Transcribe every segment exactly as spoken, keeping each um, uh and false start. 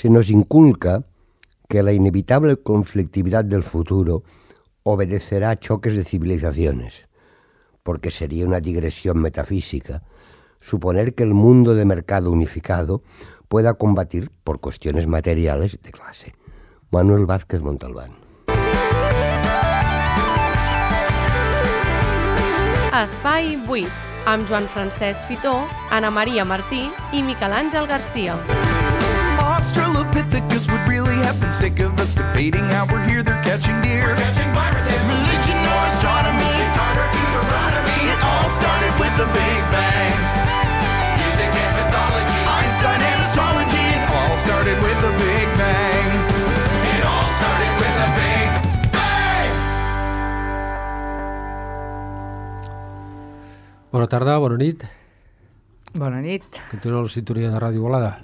se nos inculca que la inevitable conflictividad del futuro obedecerá a choques de civilizaciones, porque sería una digresión metafísica suponer que el mundo de mercado unificado pueda combatir por cuestiones materiales de clase. Manuel Vázquez Montalbán. Espai vuit, amb Joan Francesc Fitó, Ana Maria Martí i Miquel Àngel Garcia. Australopithecus would really have been sick of us debating how we're here, they're catching deer. We're catching viruses. Religion or astronomy, Carter Deuteronomy. It all started with the Big Bang. Music and mythology, Einstein and astrology. It all started with the Big Bang. It all started with the Big Bang. Bona tarda, bona nit. Bona nit. Continua la sintonia de Ràdio Volada,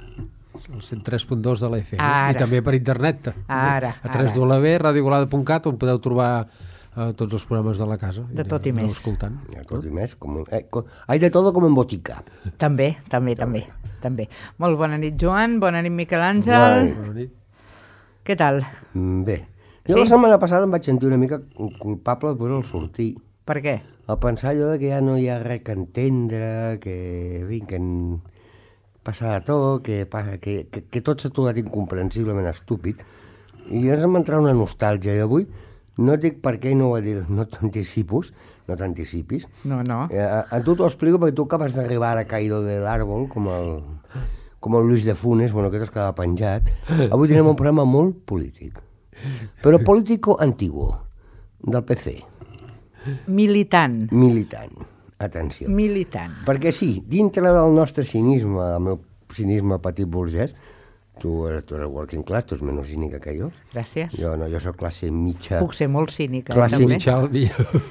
el cent tres punt dos de la F M. Ara. I també per internet. Ara, a tres w punt ràdio volada punt cat, on podeu trobar eh, tots els programes de la casa. De tot i més. Escoltant. De tot i més. Com, eh, com, hay de todo como en botica. També, també, també, també. Molt bona nit, Joan. Bona nit, Miquel Àngel. Bona nit. Bona nit. Què tal? Mm, Bé. Jo Sí? la setmana passada em vaig sentir una mica culpable per el sortir. Per què? Al pensar allò de que ja no hi ha res que entendre, que, en fi, que en... passa de tot, que, passa, que, que, que tot s'ha tornat incomprensiblement estúpid. I llavors em va entrar una nostàlgia. I avui no et dic per què i no ho he dit, no t'anticipis, no t'anticipis. No, no. Eh, a, a tu t'ho explico perquè tu acabes d'arribar a caído del árbol, com el, com el Luis de Funes, bueno, aquest es quedava penjat. Avui tenim un programa molt polític, però político antiguo, del P C. Militant. Militant. Atenció. Militant. Perquè sí, dintre del nostre cinisme, el meu cinisme petit burgès, tu eres, tu eres working class, tu ets menys cínica que jo. Gràcies. Jo no, jo soc classe mitja... Puc ser molt cínica, Classe també. Mitjal,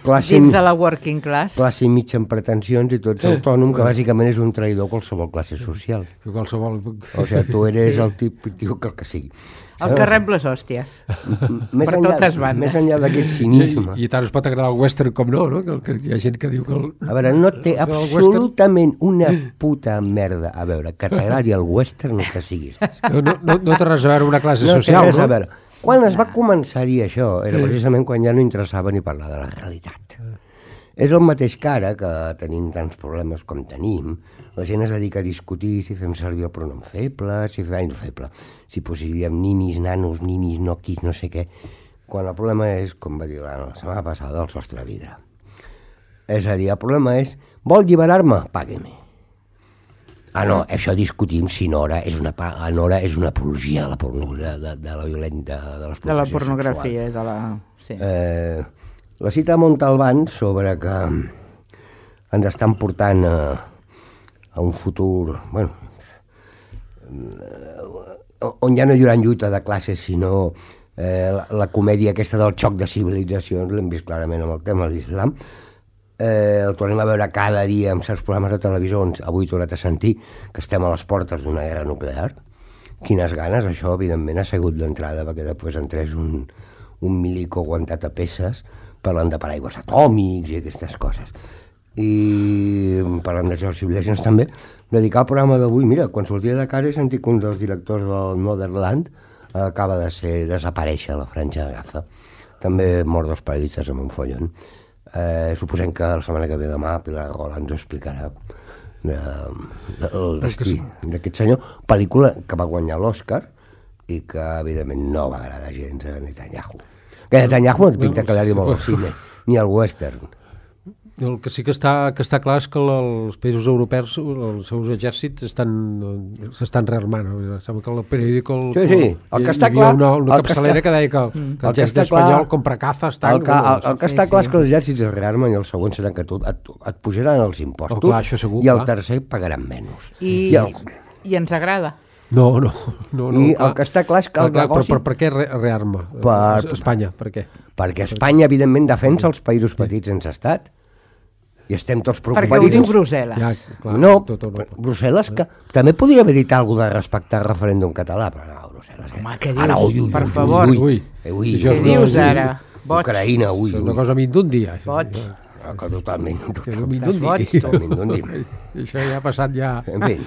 Classe, Dins de la working class. classe mitja amb pretensions i tu ets autònom, que bàsicament és un traïdor qualsevol classe social. que qualsevol... O sigui, tu eres el típic tio que el que sigui. El que rep les hòsties. Més per enllà, totes bandes. Més enllà d'aquest cinisme. I, I tant es pot agradar el western com no, no? Que, que hi ha gent que diu que... El, A veure, no té el absolutament una puta merda a veure que t'agradi el western o que siguis. No, no, no, no té res a veure amb una classe No té social, res a no? veure. Quan es va començar-hi això, era precisament quan ja no interessava ni parlar de la realitat. És el mateix que ara, que tenim tants problemes com tenim, la gent es dedica a discutir si fem servir el pronom feble, si fem no feble, si posiríem ninis, nanos, ninis, noquis, no sé què, quan el problema és, com va dir l'Anna la setmana passada, el sostre de vidre. És a dir, el problema és, vol alliberar-me? Pague-me. Ah, no, això discutim si Nora és una, pa- Nora és una apologia de la, porno, de, de, de la violenta, de l'explotació De la sexual. pornografia, de la... Sí. Eh, la cita de Montalbán sobre que ens estan portant a, a un futur, bueno, eh, on ja no hi haurà lluita de classes, sinó eh, la, la comèdia aquesta del xoc de civilitzacions, l'hem vist clarament amb el tema de l'islam, eh, el tornem a veure cada dia en certs programes de televisió, on avui he tornat a sentir que estem a les portes d'una guerra nuclear. Quines ganes, això evidentment ha sigut d'entrada, perquè després entrés un, un milico aguantat a peces parlant de paraigües atòmics i aquestes coses. I parlant de George Civilizations també, dedicar el programa d'avui, mira, quan sortia de casa he sentit que un dels directors del Motherland acaba de ser desaparèixer a la Franja de Gaza. També mort dos periodistes amb un follon. Eh, suposem que la setmana que ve demà Pilar Roland ens ho explicarà de, de, el destí d'aquest senyor, pel·lícula que va guanyar l'Oscar i que evidentment no va agradar gens a Netanyahu. Que Netanyahu no et pinta que li molt al cine, ni al western. El que sí que està, que està clar és que els països europeus, els seus exèrcits estan, s'estan rearmant. Sembla que el periòdico... El, Sí, sí, el que està hi havia clar... una, una el que capçalera està- que deia que, que El el que exèrcit està clar- espanyol compra cazas... El que, el, el que Sí, està clar sí. és que els exèrcits es rearmen i el següent serà que tu, et, et pujaran els impostos Oh, clar, això segur, i el clar. tercer pagaran menys. I, I, el, I ens agrada. No, no, no, no I clar. el que està clar és que el Clar, clar, negoci... però, però per què re, rearma? Per- Espanya, per què? Perquè Espanya, evidentment, defensa els països petits sense estat. I estem tots Perquè ho preocupats. diu Brussel·les. Ja, clar, No, tot Europa. Brussel·les, que també podria haver dit alguna cosa de respectar el referèndum català, però no, Brussel·les... Eh? Home, què dius? Ara, ui, ui, Per ui, favor. Ui, ui, Ui. eh, ui, Això Què és ui, una- dius ui, ara? Boig. Ucraïna, ui, És ui. una cosa a mi d'un dia. això. Boig. Que, que totalment, Que totalment. Mindundi. boig, tu. Mindundi. Això ja ha passat ja... En fi.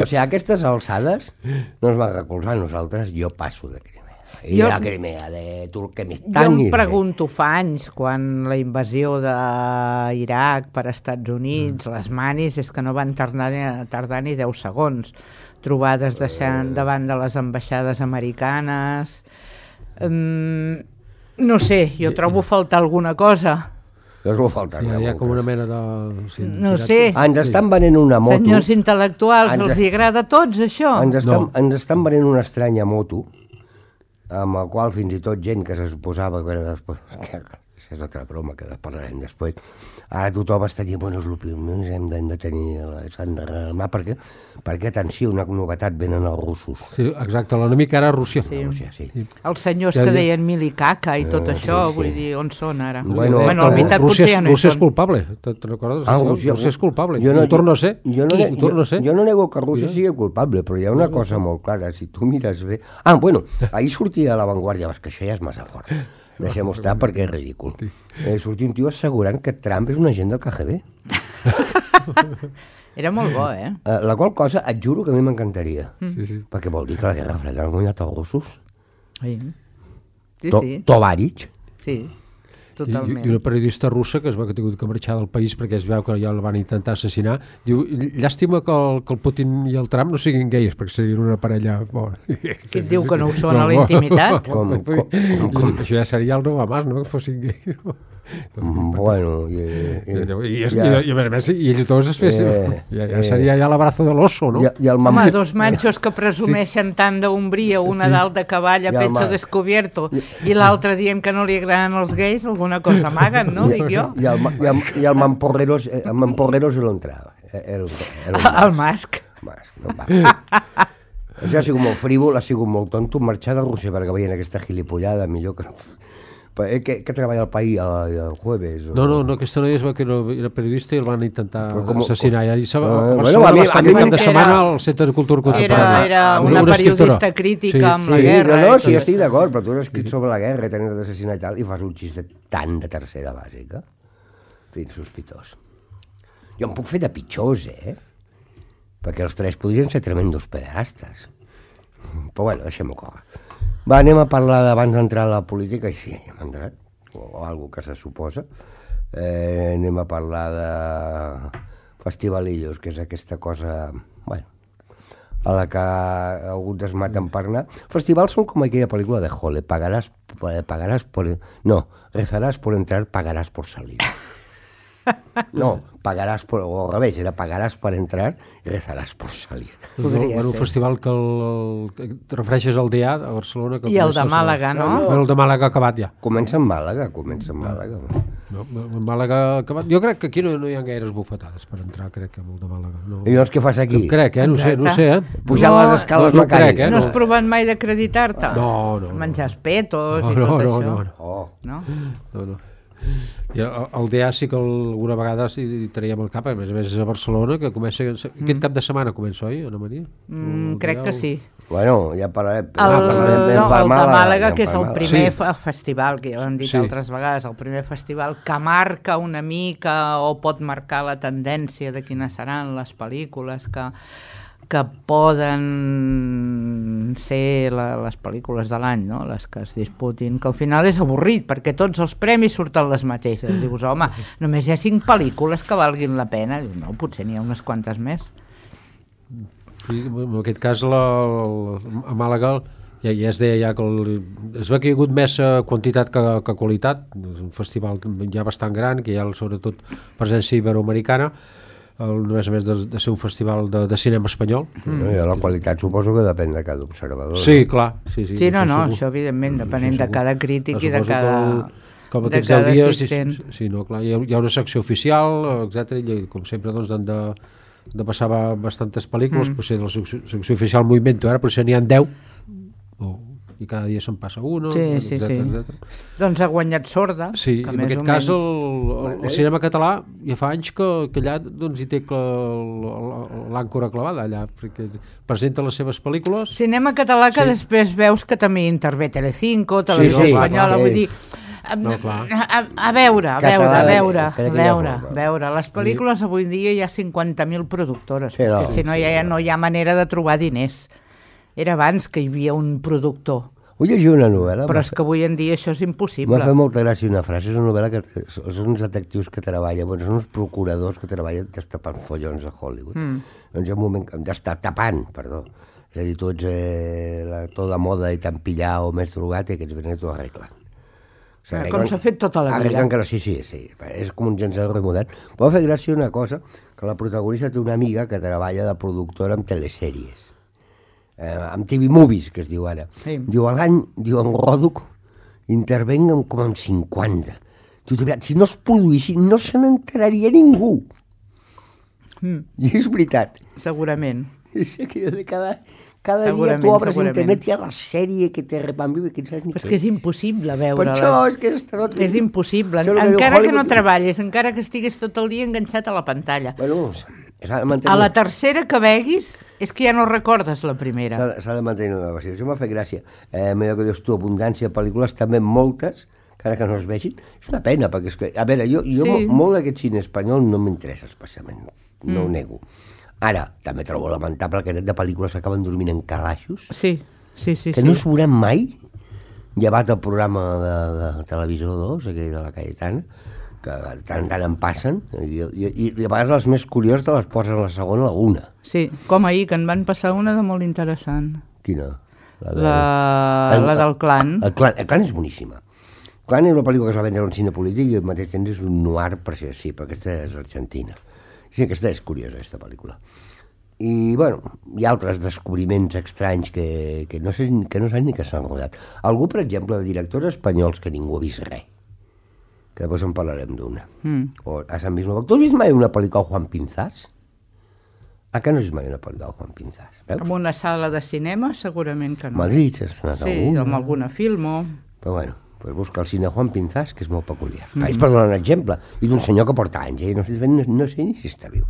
O sigui, a aquestes alçades no ens va recolzar a nosaltres, jo passo de Crimea. I Jo- de Crimea, de Jo Turkmenistan... em i- pregunto fa anys, quan la invasió d'Iraq per Estats Units, les manis, és que no van tardar, tardar ni deu segons. Trobades de, davant de les ambaixades americanes... Um, no sé, jo trobo a faltar alguna cosa. No us ho falta. Hi ha, hi ha com una mena de... Sí, No tirat- sé. Ens estan venent una moto... Senyors intel·lectuals, Ens- els hi agrada a tots, això? Ens estan, No. ens estan venent una estranya moto, amb la qual fins i tot gent que se suposava que era després... Que, això és altra broma que parlarem després. Ara tothom està dient, bueno, és el primer, hem de, hem de tenir... S'han de rearmar, perquè, perquè, atenció, una novetat, venen els russos. Sí, exacte, l'enemic ara és Rússia. Sí. Rússia, sí. Els senyors Ja, que ja. deien mil i caca i tot Eh, això, sí, sí. vull dir, on són ara? Bueno, bueno la eh, veritat Rússia, potser ja és- no hi Rússia és són. culpable, te, te recordes? Ah, Això? Rússia, Rússia és culpable, Jo i ho ne- torna a ser. Jo no, I ne- ho torna a ser. jo, jo no nego que Rússia sigui culpable, però hi ha una cosa molt clara, si tu mires bé... Ah, bueno, ahir sortia a l'avantguàrdia, vas que això ja és massa fort. Deixem-ho estar perquè és ridícul. Eh, sortia un tio assegurant que Trump és un agent del K G B. Era molt bo, eh? Eh, la qual cosa, et juro que a mi m'encantaria. Sí, sí. Perquè vol dir que la Guerra Freda l'han guanyat els russos. Sí, sí, To sí, Tovarich. sí. I, totalment. I una periodista russa que es va que ha tingut que marxar del país perquè es veu que ja el van intentar assassinar, diu, llàstima que el, que el Putin i el Trump no siguin gais, perquè serien una parella... Bona. Qui et diu que no ho són a la intimitat? Com- com- com- Això ja seria el nou amàs, no?, que fossin gais. Mm, Bueno, i, I, i, i, i, ja- i, i, a més, i ells dos es fessin... Eh, ja, ja eh. seria ja l'abrazo de l'oso, no? i, i el Home, mam- dos machos que presumeixen tant d'ombria, una dalt de cavall a I el pecho ma- descobierto i l'altre dient que no li agraden els gais, alguna cosa amaguen, no? Dic jo. I el, ma- i el, i el Mamporrero, el Mamporrero se lo entrava. Era, era un El Masc. Mas, no va. Això ha sigut molt frívol, ha sigut molt tonto marxar de Rússia perquè veien aquesta gilipollada, millor que... Però, eh, que, que treballa el país el, el jueves? O... No, no, no, aquesta noia es va que era, era periodista i el van intentar Però com- assassinar. I se va, Ah, a bueno, Barcelona a mi- va estar a mi aquest cap de era- setmana al Centre de Cultura Contemporània. Era, era Amb una una periodista escriptora. crítica Sí, amb la Sí, guerra. no, no, i sí, tot. estic d'acord, però tu has escrit sobre la guerra i tenir d'assassinar i tal, i fas un xiste tan de tercera bàsica. En fi, sospitós. Jo em puc fer de pitjors, eh? Perquè els tres podrien ser tremendos pederastes. Però bueno, deixem-ho córrer. Va, anem a parlar d'abans d'entrar a la política, i sí, hem entrat, o, o algo que se suposa. Eh, anem a parlar de festivalillos, que és aquesta cosa, bueno, a la que alguns es maten per anar. Festivals són com aquella pel·lícula de Hole, pagaràs, pagaràs por... No, rezaràs por entrar, pagaràs por salir. No, pagaràs por... O al revés, era pagaràs per entrar i rezaràs por salir. Podria Bueno, un ser. festival que, el, el, que te refereixes al D A a Barcelona. Que I el comença de Màlaga, no? Bueno, el de Màlaga ha acabat ja. Comença en Màlaga, comença en Màlaga. No, el Màlaga ha acabat. Jo crec que aquí no, no hi ha gaires bufetades per entrar, crec que amb el de Màlaga. No. I llavors què fas aquí? Crec, eh? No sé, no sé, eh? Pujant No, les escales no, no crec, mecàniques. eh? No has no. provat mai d'acreditar-te? No, no, no. Menjar espetos No, i no, tot no, això? no, no. Oh. No? No, no. I el, el D A sí que alguna vegada sí traiem el cap, a més a més és a Barcelona, que comença... Aquest cap de setmana comença, oi, Ana Maria? Mm, El crec D A que o- sí. Bueno, ja parlarem. El, ah, parlarem ben no, per el de Màlaga, Màlaga, ben que és per el Màlaga. primer Sí. fe- festival, que ja ho hem dit Sí. altres vegades, el primer festival que marca una mica o pot marcar la tendència de quines seran les pel·lícules que, que poden ser la, les pel·lícules de l'any, no? Les que es disputin, que al final és avorrit, perquè tots els premis surten les mateixes. Dius, home, només hi ha cinc pel·lícules que valguin la pena. Dius, no, potser n'hi ha unes quantes més. Sí, en aquest cas la, la, a Màlaga ja, ja es deia ja que el, es veu que hi ha hagut més eh, quantitat que, que qualitat. És un festival ja bastant gran, que hi ha sobretot presència iberoamericana, el, no és a més de, de ser un festival de, de cinema espanyol. No, i la qualitat suposo que depèn de cada observador. Sí, clar. Sí, sí, Sí, no, no, segur. això evidentment, depenent Sí, de cada segur. crític Però i de suposo cada, que el- com de aquests deu cada dies, sí, assistent. sí, sí, no, clar, hi ha, hi ha una secció oficial, etcètera, i com sempre doncs, han de, de passar ba- bastantes pel·lícules, mm. potser de la secció, secció oficial m'ho invento, ara potser n'hi ha deu, o, i cada dia se'n passa una, Sí, sí, etcètera, sí. etcètera. Doncs ha guanyat Sorda, Sí, que en més aquest o cas el, menys... el, el cinema català ja fa anys que, que allà doncs, hi té cla- l'àncora clavada allà, perquè presenta les seves pel·lícules. Cinema català que Sí. després veus que també intervé Telecinco, Televisió sí, Espanyola, sí. vull dir, A, No, clar. a, a veure, a Català, veure, a veure, crec a que hi ha veure, forma. a veure. Les pel·lícules avui dia hi ha cinquanta mil productores, Sí, no, perquè si no, sí, ja no. no hi ha manera de trobar diners. Era abans que hi havia un productor, Vull llegir una novel·la. però m'ha és fet- que avui en dia això és M'ha impossible. fet molta gràcia una frase, és una novel·la que són uns detectius que treballen, bueno, són uns procuradors que treballen destapant follons a Hollywood. Mm. Doncs hi ha un moment, destapant, tapant, perdó. És a dir, tu ets eh, la, tota moda i tan pillar o més drogat i aquests venen i t'ho arreglen. O Ah, com s'ha fet tota la vida. Arreglen que no, sí, sí, sí. És com un gens de modern. Però m'ha fet gràcia una cosa, que la protagonista té una amiga que treballa de productora en telesèries. Eh, amb T V Movies, que es diu ara. Sí. Diu, a l'any, diu, en Roduc, intervenguen com en cinquanta. Diu, de veritat, si no es produïssin, no se n'enteraria ningú. Mm, I és veritat. segurament. És que de cada, cada dia Segurament, tu obres segurament. internet i hi ha la sèrie que te repanviu i que no saps ni Però és què que és impossible Per veure-les. això és que és tot... És impossible. Això és el que diu Encara que no Hollywood. treballis, encara que estiguis tot el dia enganxat a la pantalla. Bueno, s'ha de mantenir... A la tercera que veguis és que ja no recordes la primera. S'ha de- s'ha de mantenir una negoci. Això m'ha fet gràcia. Eh, allò que dius tu, abundància de pel·lícules, també moltes, encara que no es vegin. És una pena, perquè és que... A veure, jo, jo Sí. sí. molt d'aquest cine espanyol no m'interessa especialment, no Mm. ho nego. Ara, també trobo lamentable que de pel·lícules que acaben dormint en calaixos, Sí, sí, sí. que sí. no es veuran mai, llevat el programa de, de Televisió dos, aquell de la Cayetana, que de tant en tant en passen, i, i, i a vegades les més curioses te les posen a la segona o a la una. Sí, com ahir, que en van passar una de molt interessant. Quina? de- La, El- la del clan. El clan, el clan és boníssima. El clan és una pel·lícula que es va vendre en un cine polític i al mateix temps és un noir, per si sí, però aquesta és argentina. Sí, aquesta és curiosa, aquesta pel·lícula. I, bueno, hi ha altres descobriments estranys que, que, no, sé, que no saben ni que s'han rodat. Algú, per exemple, de directors espanyols que ningú ha vist res, que després en parlarem d'una. Mm. O a Sant Bisbal. Tu has vist mai una pel·lícula de Juan Pinzás? A què no has vist mai una pel·lícula de Juan Pinzás? Veus? En una sala de cinema, segurament que no. Madrid, s'ha estrenat Sí, alguna. amb alguna filmo. Però bueno, pues busca el cine Juan Pinzás, que és molt peculiar. Mm -hmm. És per donar un exemple. I d'un senyor que porta anys, eh? no, sé, no, no sé ni si està viu.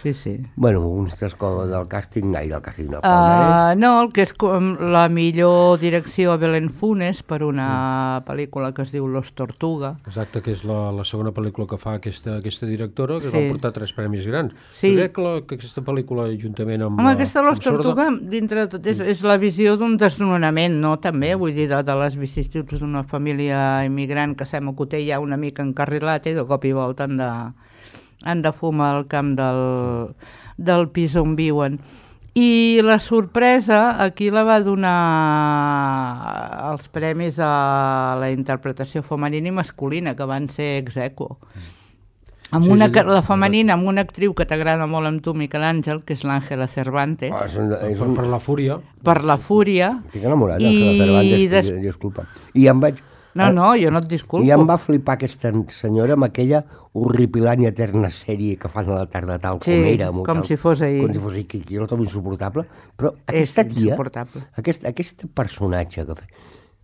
Sí, sí. Bueno, uns tres coses del càsting, ai, del càsting del palmarès. Uh, no, el que és com la millor direcció a Belén Funes per una pel·lícula que es diu Los Tortuga. Exacte, que és la, la segona pel·lícula que fa aquesta, aquesta directora, que Sí. va portar tres premis grans. Sí. Jo crec que, la, que aquesta pel·lícula, juntament amb... Home, la- aquesta Los amb Sorda, Tortuga, dintre de tot, és, és la visió d'un desnonament, no? També, vull dir, de, de les vicissituds d'una família immigrant que sembla que ho té ja una mica encarrilat i de cop i volta han de, han de fumar al camp del, del pis on viuen. I la sorpresa, aquí la va donar els premis a la interpretació femenina i masculina, que van ser ex aequo. Amb Sí, una, sí, ca- sí. la femenina, amb una actriu que t'agrada molt amb tu, Miquel Àngel, que és l'Àngela Cervantes, Ah, és un, és per, un, per la fúria. per la fúria. estic enamorat I d'Àngela Cervantes, des- des... disculpa. I em vaig... No, no, jo no et disculpo. I em va flipar aquesta senyora amb aquella horripilant i eterna sèrie que fan a la tarda tal Sí, com era. amb com tal, si fos ahir. Com si fos ahir, que jo la trobo insuportable. Però aquesta tia, insuportable. aquest, aquest personatge que fa,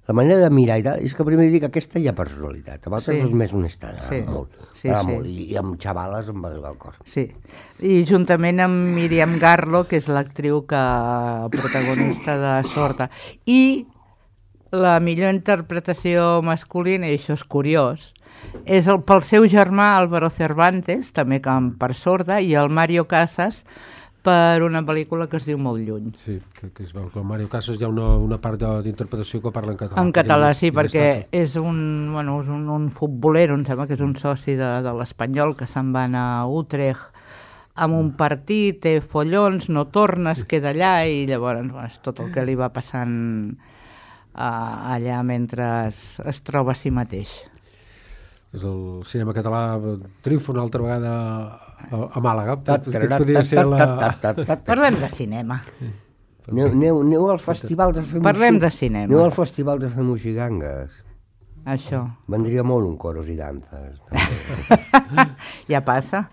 la manera de mirar i tal, és que primer dic que aquesta hi ha personalitat. A vegades Sí. és més honesta, Sí. sí. molt. Sí, Ah, sí. molt. I, I amb xavales em va arribar al cor. Sí, i juntament amb Míriam Garlo, que és l'actriu que protagonista de Sorda. I la millor interpretació masculina, i això és curiós, és el, pel seu germà Álvaro Cervantes, també com per Sorda, i el Mario Casas per una pel·lícula que es diu Molt lluny. Sí, que, que es veu que el Mario Casas hi ha una, una part de- d'interpretació que parla en català. En català, sí, I perquè destaca. és un, bueno, és un, un futbolero, em sembla que és un soci de, de l'Espanyol, que se'n va anar a Utrecht amb un partit, té follons, no torna, es queda allà, i llavors bueno, és tot el que li va passant uh, allà mentre es, es troba a si mateix. És el cinema català triomfa una altra vegada a, a Màlaga. Ta- Aquesta ta- podria ta- ser la... ta- ta- ta- ta- Parlem de cinema. Aneu, aneu, aneu al festival de fer Parlem moixi- de cinema. Aneu al festival de fer moxigangues. Això. Vendria molt un coros i danzes. També. Ja passa.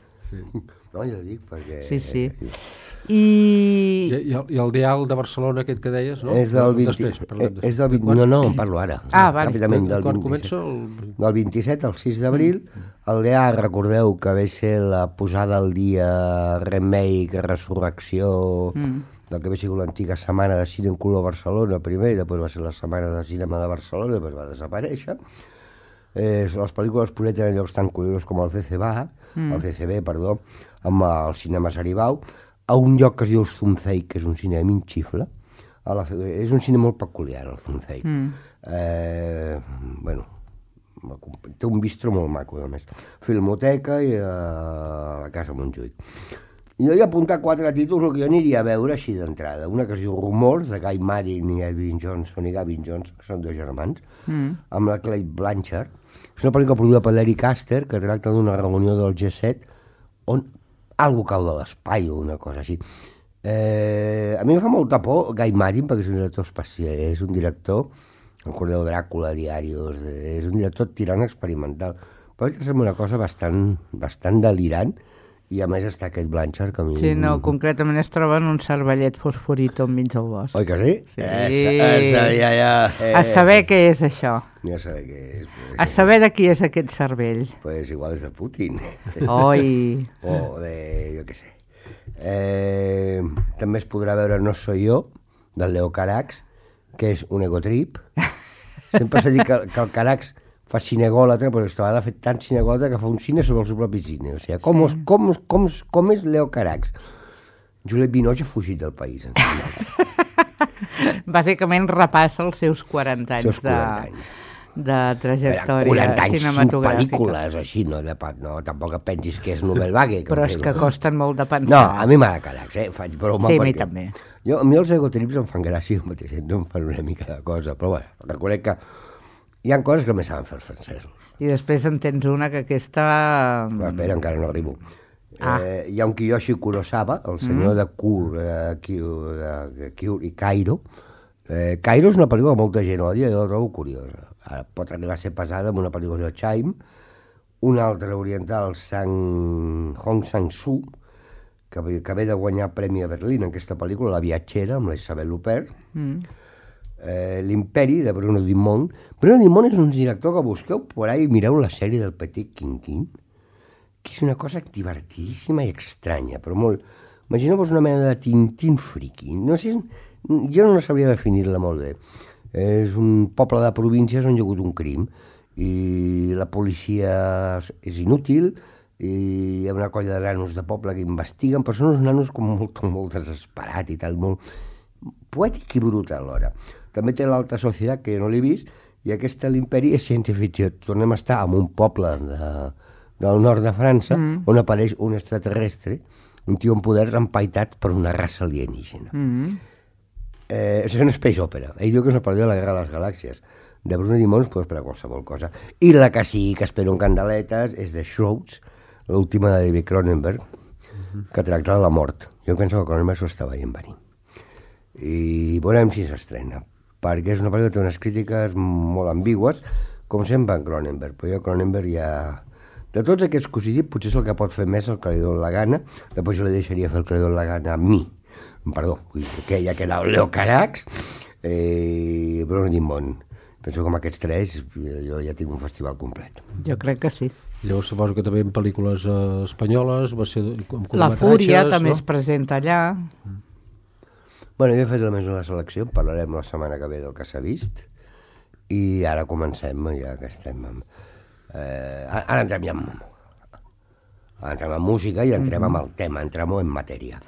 No, jo dic perquè... Sí, sí. eh, I... I, i, el, I el Dial de Barcelona, aquest que deies, no? És del vint... Després, parlem eh, de- és del vint... Quan- No, no, en parlo ara. Ah, vale. Ràpidament, del Quan vint-i-set. comença el... Del vint-i-set al sis d'abril, el D A, recordeu que ve ser la posada al dia, remake, resurrecció, Mm. del que ve sigut l'antiga Setmana de Cine en Color Barcelona primer, i després va ser la Setmana de Cinema de Barcelona, després va desaparèixer. Eh, les pel·lícules projecten en llocs tan curiosos com el C C B, mm. el C C B, perdó, amb el cinema Saribau, a un lloc que es diu Zunzeig, que és un cine minxifle. A la, és un cine molt peculiar, el Zunzeig. Mm. Eh, bueno, té un bistro molt maco, a més. Filmoteca i a la Casa Montjuïc. Jo he apuntat quatre títols que jo aniria a veure així d'entrada. Una que es diu Rumors, de Guy Maddin i Edwin Johnson i Gavin Johnson, que són dos germans, mm. amb la Cate Blanchett. És una pel·lícula produïda per Larry Caster, que tracta d'una reunió del G set on algú cau de l'espai o una cosa així. Eh, a mi em fa molta por Guy Maddin, perquè és un director especial, és un director, el Cordeu Dràcula, Diarios, és un director tirant experimental. Però és que sembla una cosa bastant, bastant delirant, i a més està aquest Blanchard que a mi... Sí, no, concretament es troba en un cervellet fosforito enmig del bosc. Oi que sí? Sí. Eh, eh, ja, ja, eh. A saber què és això. Ja saber què és. Pues, a saber de qui és aquest cervell. Pues igual és de Putin. Oi. O de... jo què sé. Eh, també es podrà veure No soy yo, del Leo Carax, que és un egotrip. Sempre s'ha dit que, que el Carax fa cinegòlatra, però aquesta vegada ha fet tant cinegòlatra que fa un cine sobre el seu propi cine. O sigui, com, sí. com, com, com és Leo Carax? Juliette Binoche ha fugit del país. Bàsicament repassa els seus quaranta anys, seus quaranta anys. De, de trajectòria quaranta anys, cinematogràfica. cinc pel·lícules, així, no, de, no, tampoc et pensis que és Nobel Vague. Que però és que costen molt de pensar. No, a mi m'agrada Carax, eh? Faig broma. Sí, a mi també. Jo, a mi els egotrips em fan gràcia, al mateix temps em fan una mica de cosa, però bueno, reconec que hi ha coses que més saben fer els francesos. I després en tens una que aquesta... Però espera, encara no arribo. Ah. Eh, hi ha un Kiyoshi Kurosawa, el senyor mm. de Kur, eh, Kyur, de Kyur i Cairo. Eh, Cairo és una pel·lícula que molta gent odia, jo la trobo curiosa. Ara pot arribar a ser pesada amb una pel·lícula de Chaim, una altra oriental, Sang... Hong Sang-soo, que, que ve de guanyar Premi a Berlín en aquesta pel·lícula, La viatgera, amb la Isabel Huppert. Mm. Eh, L'Imperi, de Bruno Dumont. Bruno Dumont és un director que busqueu por ahí i mireu la sèrie del Petit Quinquín, que és una cosa divertidíssima i estranya, però molt... Imagineu-vos una mena de Tintín friki. No sé, jo no sabria definir-la molt bé. És un poble de províncies on hi ha hagut un crim i la policia és inútil i hi ha una colla de nanos de poble que investiguen, però són uns nanos com molt, molt desesperats i tal, molt poètic i brutal alhora. També té l'Alta Societat, que jo no l'he vist, i aquesta l'Imperi és ciència-ficció. Tornem a estar en un poble de, del nord de França, mm. on apareix un extraterrestre, un tio amb poders empaitat per una raça alienígena. Mm. Eh, és una space opera. Ell diu que és una pel·lícula de la Guerra de les Galàxies. De Bruno Dumont es pot esperar qualsevol cosa. I la que sí que espero en candeletes és The Shrouds, l'última de David Cronenberg, mm-hmm. que tracta de la mort. Jo penso que Cronenberg s'ho està veient venir. I veurem si s'estrena, perquè és una pel·lícula que té unes crítiques molt ambigües, com sempre en Cronenberg, però jo Cronenberg ja... De tots aquests que us he dit, potser és el que pot fer més el que li dona la gana, després jo li deixaria fer el que li dona la gana a mi, perdó, que ja queda el Leo Carax i eh, Bruno Dumont. Penso que amb aquests tres jo ja tinc un festival complet. Jo crec que sí. Llavors suposo que també en pel·lícules eh, espanyoles, va ser com La Fúria també no? es presenta allà. Mm. Bueno, jo he fet només una selecció, parlarem la setmana que ve del que s'ha vist, i ara comencem, ja que estem amb... Eh, ara entrem ja amb... Ara entrem amb música i entrem mm-hmm. amb el tema, entrem en matèria.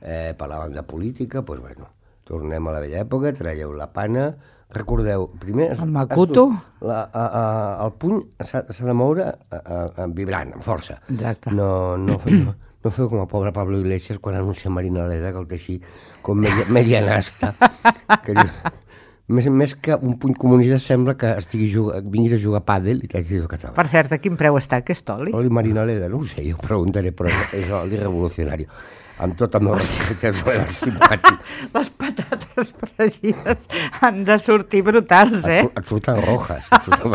Eh, parlàvem de política, doncs bueno, tornem a la vella època, traieu la pana, recordeu, primer... El Makuto? La, a, a, el puny s'ha de moure a, a, a, vibrant, amb força. Exacte. No, no, no, no feu com a pobre Pablo Iglesias quan anuncia Marina Leda, que el té així com media, medianasta. Que diu, més, més que un puny comunista sembla que estigui juga, vinguis a jugar a pàdel i t'hagis de català. Per cert, a quin preu està aquest oli? Oli Marina Leda, no ho sé, jo preguntaré, però és oli revolucionari. Amb tot el meu respecte, és simpàtic. Les patates fregides han de sortir brutals, eh? Et, et surten rojas. Et surten...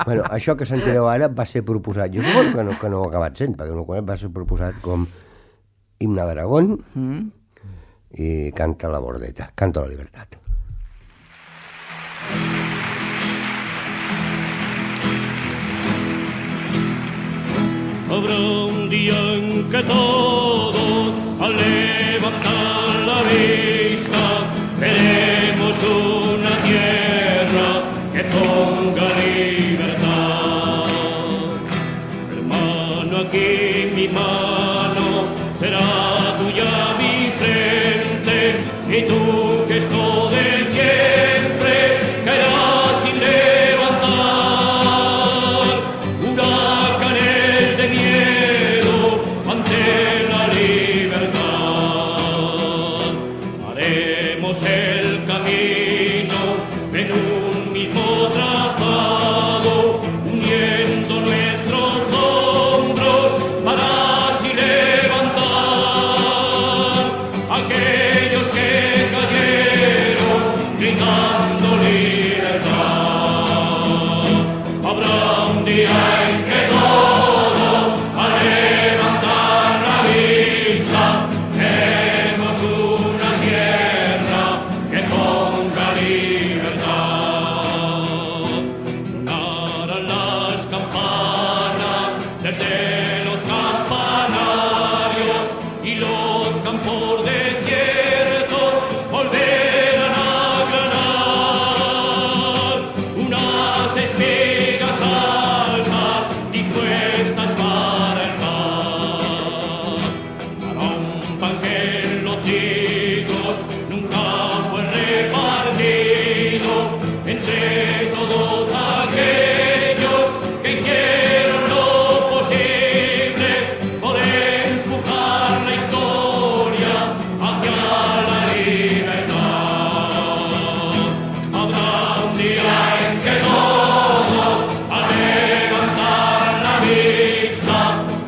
bueno, això que sentireu ara va ser proposat, jo suposo que no, que no ho ha acabat sent, perquè no va ser proposat com himne d'Aragón, mm. i canta la bordeta, canta la libertad. Habrá un día en que todos, al levantar la vista, veremos una tierra que ponga libertad. y tú que esto de siempre caerás sin levantar huracanes de miedo ante la libertad. Haremos el camino en un mismo trazado, uniendo nuestros hombros para así levantar aquellos que cayeron gritando libertad. Habrá un día en que todos al levantar la vista veremos una tierra que ponga libertad. Sonarán las campanas desde los campanarios y los campos desiertos volverán a granar unas espigas altas dispuestas para el pan, para un pan que en los siglos nunca fue repartido entre todos aquellos que hicieron lo posible por empujar la historia hacia la libertad. Habrá un día en que todos al levantar la vista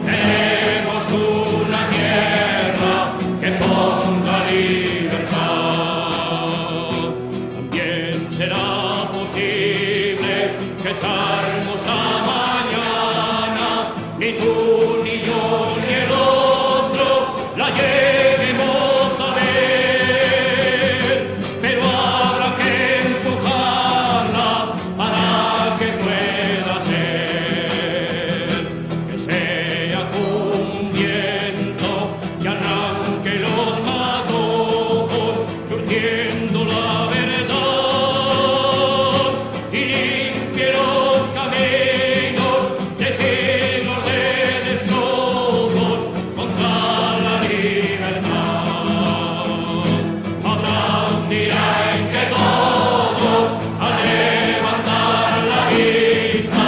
veremos una tierra que ponga libertad. También será posible que esa hermosa mañana ni tú ni yo ni el otro la lleguemos a ver, pero habrá que empujarla para que pueda ser, que sea como un viento que arranque los matojos surgiendo la verdad y limpie los caminos de siglos de destrozos contra la libertad. Habrá un día en que todos al levantar la vista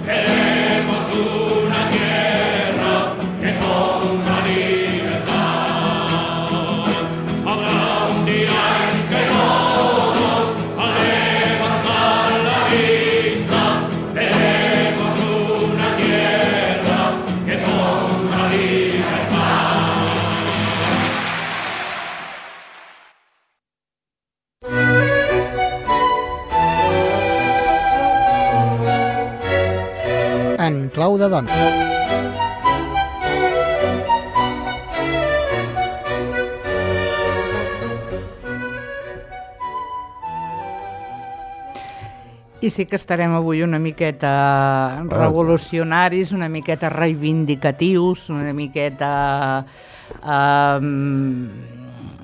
veremos una tierra que ponga libertad. Habrá un día en que todos al levantar la vista veremos una tierra que ponga libertad. En clau de dona. I sí que estarem avui una miqueta revolucionaris, una miqueta reivindicatius, una miqueta... Um...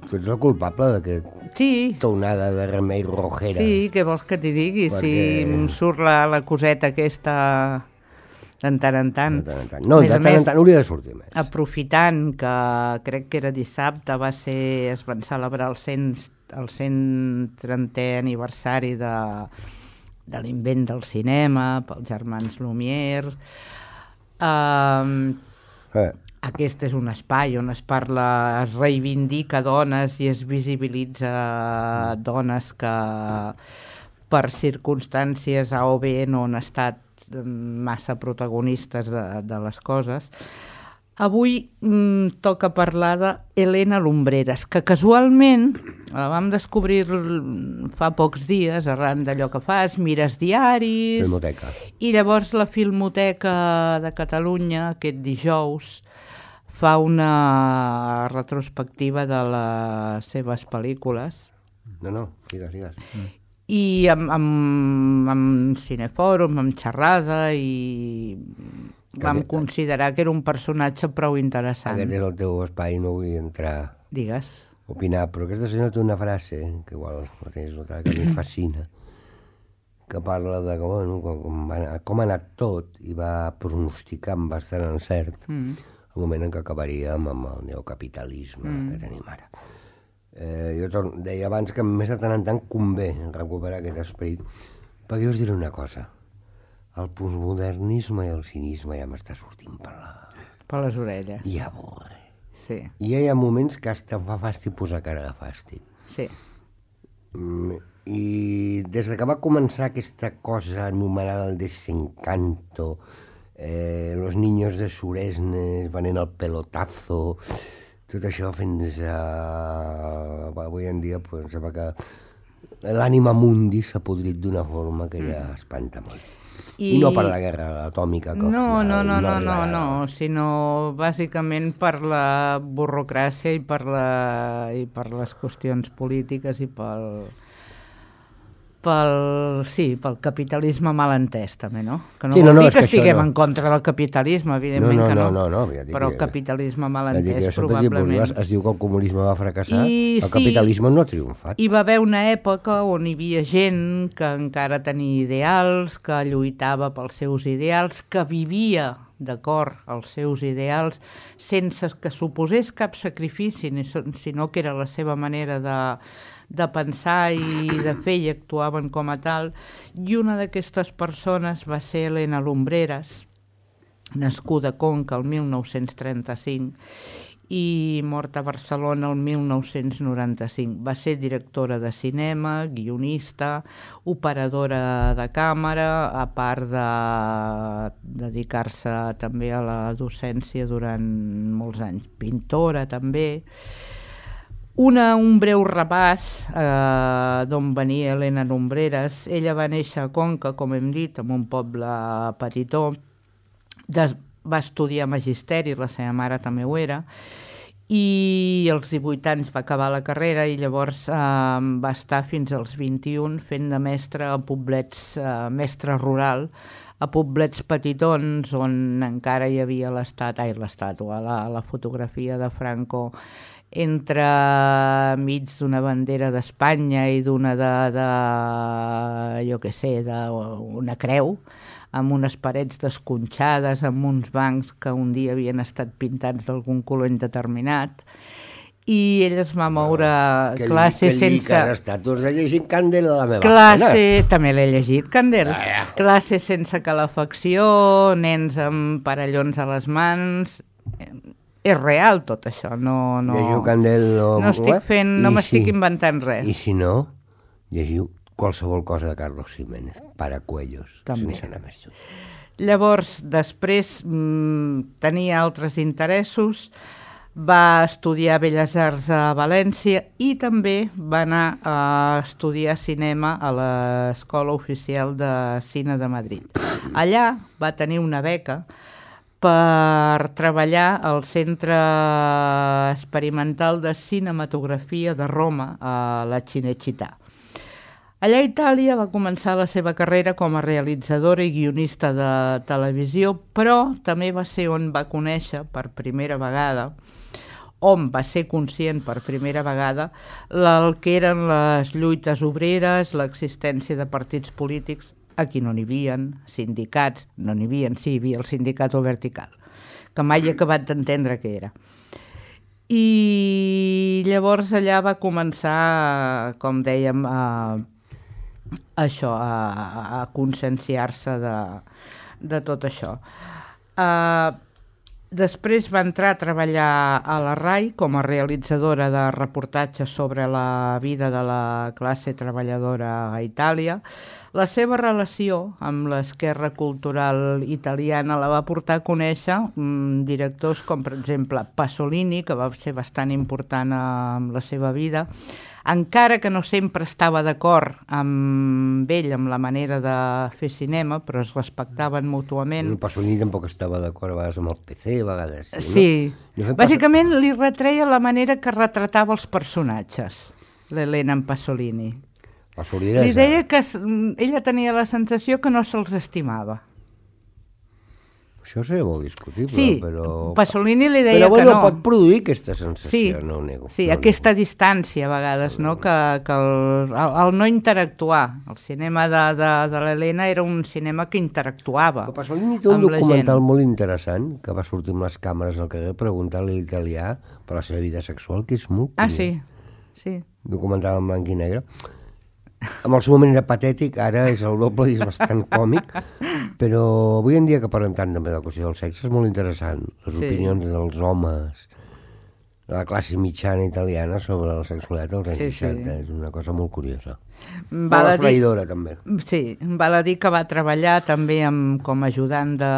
Tu ets el culpable d'aquest Sí, tonada de Remei Rojera. sí, què vols que t'hi digui? Perquè- Si em surt la, la coseta aquesta de tant en tant. De tant en tant. No, A més de a tant en més, tant hauria de sortir més. aprofitant que crec que era dissabte, va ser, es van celebrar el cent, el cent trentè aniversari de, de l'invent del cinema pels germans Lumière. Um, Eh, Aquest és un espai on es parla, es reivindica dones i es visibilitza dones que per circumstàncies A o B no han estat massa protagonistes de, de les coses. Avui mm, toca parlar d'Helena Lumbreras, que casualment la vam descobrir fa pocs dies arran d'allò que fas, mires diaris... Filmoteca. I llavors la Filmoteca de Catalunya, aquest dijous, fa una retrospectiva de les seves pel·lícules. No, no, digues, digues. I amb, amb, amb Cinefòrum, amb xerrada, i vam Aquest- considerar que era un personatge prou interessant. Aquest és el teu espai, no vull entrar Digues. a opinar, però aquesta senyora té una frase, que igual la tens notada, que a mi em fascina, que parla de com, bueno, com, va, com ha anat tot i va pronosticar amb bastant encert Mm. el moment en què acabaríem amb el neocapitalisme mm. que tenim ara. Eh, jo tor- deia abans que més de tant en tant convé recuperar aquest esperit, perquè jo us diré una cosa, el postmodernisme i el cinisme ja m'està sortint per, la... Per les orelles. Ja bo, eh? Sí, I ja hi ha moments que hasta fa fàstic posar cara de fàstic. sí. Mm, I des de que va començar aquesta cosa anomenada el desencanto, eh, los niños de Suresnes venent el pelotazo, tot això fins a... avui en dia pues, em sembla que l'ànima mundi s'ha podrit d'una forma que ja espanta molt. I, I no per la guerra atòmica. Que No, no, no, no, no, arribarà. no, sinó bàsicament per la burocràcia i per, la, i per les qüestions polítiques i pel, pel, sí, pel capitalisme mal entès també, no? Que no Sí, vol no, no, dir és que que això estiguem no. en contra del capitalisme, evidentment No, no, que no, no, no, no, ja dic però que- capitalisme mal Ja dic, entès jo sempre dic, probablement. es, es diu que el comunisme va fracassar, I el sí, capitalisme no ha triomfat. Hi va haver una època on hi havia gent que encara tenia ideals, que lluitava pels seus ideals, que vivia d'acord als seus ideals sense que suposés cap sacrifici, ni so- sinó que era la seva manera de, de pensar i de fer i actuaven com a tal. I una d'aquestes persones va ser Elena Lumbreras, nascuda a Conca el mil nou-cents trenta-cinc i morta a Barcelona el mil nou-cents noranta-cinc. Va ser directora de cinema, guionista, operadora de càmera, a part de dedicar-se també a la docència durant molts anys. Pintora també. Una, un breu repàs eh, d'on venia Elena Lumbreras. Ella va néixer a Conca, com hem dit, en un poble petitó. Des, va estudiar magisteri, la seva mare també ho era, i als divuit anys va acabar la carrera i llavors eh, va estar fins als vint-i-un fent de mestre a poblets, eh, mestre rural, a poblets petitons on encara hi havia l'estat, ai, l'estàtua, la, la fotografia de Franco entre mig d'una bandera d'Espanya i d'una de, de, jo què sé, d'una creu, amb unes parets desconxades, amb uns bancs que un dia havien estat pintats d'algun color indeterminat, i ell es va moure Que li- classe que li sense... que estàtues de llegir Candel a la meva Classe, també l'he llegit, Candel. Ah, ja. Classe sense calefacció, nens amb parellons a les mans... És real tot això, no... no... Llegiu Candel o... No estic fent, no I m'estic si- inventant res. I si no, llegiu qualsevol cosa de Carlos Jiménez, Paracuellos, També. sense anar més lluny. Llavors, després mmm, tenia altres interessos, va estudiar Belles Arts a València i també va anar a estudiar cinema a l'Escola Oficial de Cine de Madrid. Allà va tenir una beca per treballar al Centre Experimental de Cinematografia de Roma, a la Cinecittà. Allà a Itàlia va començar la seva carrera com a realitzadora i guionista de televisió, però també va ser on va conèixer per primera vegada, on va ser conscient per primera vegada, el que eren les lluites obreres, l'existència de partits polítics. Aquí no n'hi havia, sindicats, no n'hi havia, sí, hi havia el sindicat o vertical, que mai he acabat d'entendre què era. I llavors allà va començar, com dèiem, a, a això, a, a conscienciar-se de, de tot això. Uh, després va entrar a treballar a la RAI com a realitzadora de reportatges sobre la vida de la classe treballadora a Itàlia. La seva relació amb l'esquerra cultural italiana la va portar a conèixer mm, directors com, per exemple, Pasolini, que va ser bastant important amb la seva vida, encara que no sempre estava d'acord amb ell, amb la manera de fer cinema, però es respectaven mútuament. El Pasolini tampoc estava d'acord a vegades amb el P C, a vegades sí, Sí, no? bàsicament li retreia la manera que retratava els personatges, l'Helena en Pasolini. Pasolini Li deia que s- ella tenia la sensació que no se'ls estimava. Això seria molt discutible, Sí, però... Pasolini li deia però, bueno, que no. pot produir aquesta sensació, Sí, no ho nego. sí, no ho aquesta nego. distància a vegades, no? que, que el, el, el no interactuar. El cinema de, de, de l'Helena era un cinema que interactuava Però Pasolini té un amb la documental gent. molt interessant que va sortir amb les càmeres al carrer preguntant-li a l'italià per la seva vida sexual, que és molt Ah, curiós. sí? sí. Documental en blanc i negre. En el seu moment era patètic, ara és el doble i és bastant còmic, però avui en dia que parlem tant també de la qüestió del sexe és molt interessant. Les Sí. opinions dels homes, de la classe mitjana italiana sobre la sexualitat dels anys Sí, sí. seixanta, és una cosa molt curiosa. Val Molt a dir, esfraïdora, també. sí, val a dir que va treballar també amb, com a ajudant de,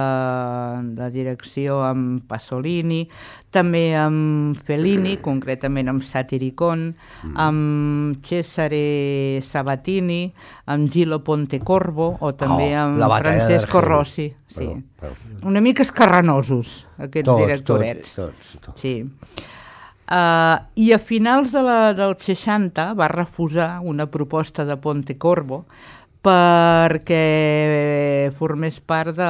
de direcció amb Pasolini, també amb Fellini, concretament amb Satiricon, Mm. amb Cesare Sabatini, amb Gillo Pontecorvo o també Oh, amb la batalla Francesco d'Argel. Rossi. Sí. Perdó, perdó. Una mica escarranosos, aquests Tots, directorets. tots, tots, tots. Sí. Uh, I a finals de la, dels seixanta va refusar una proposta de Pontecorvo perquè formés part de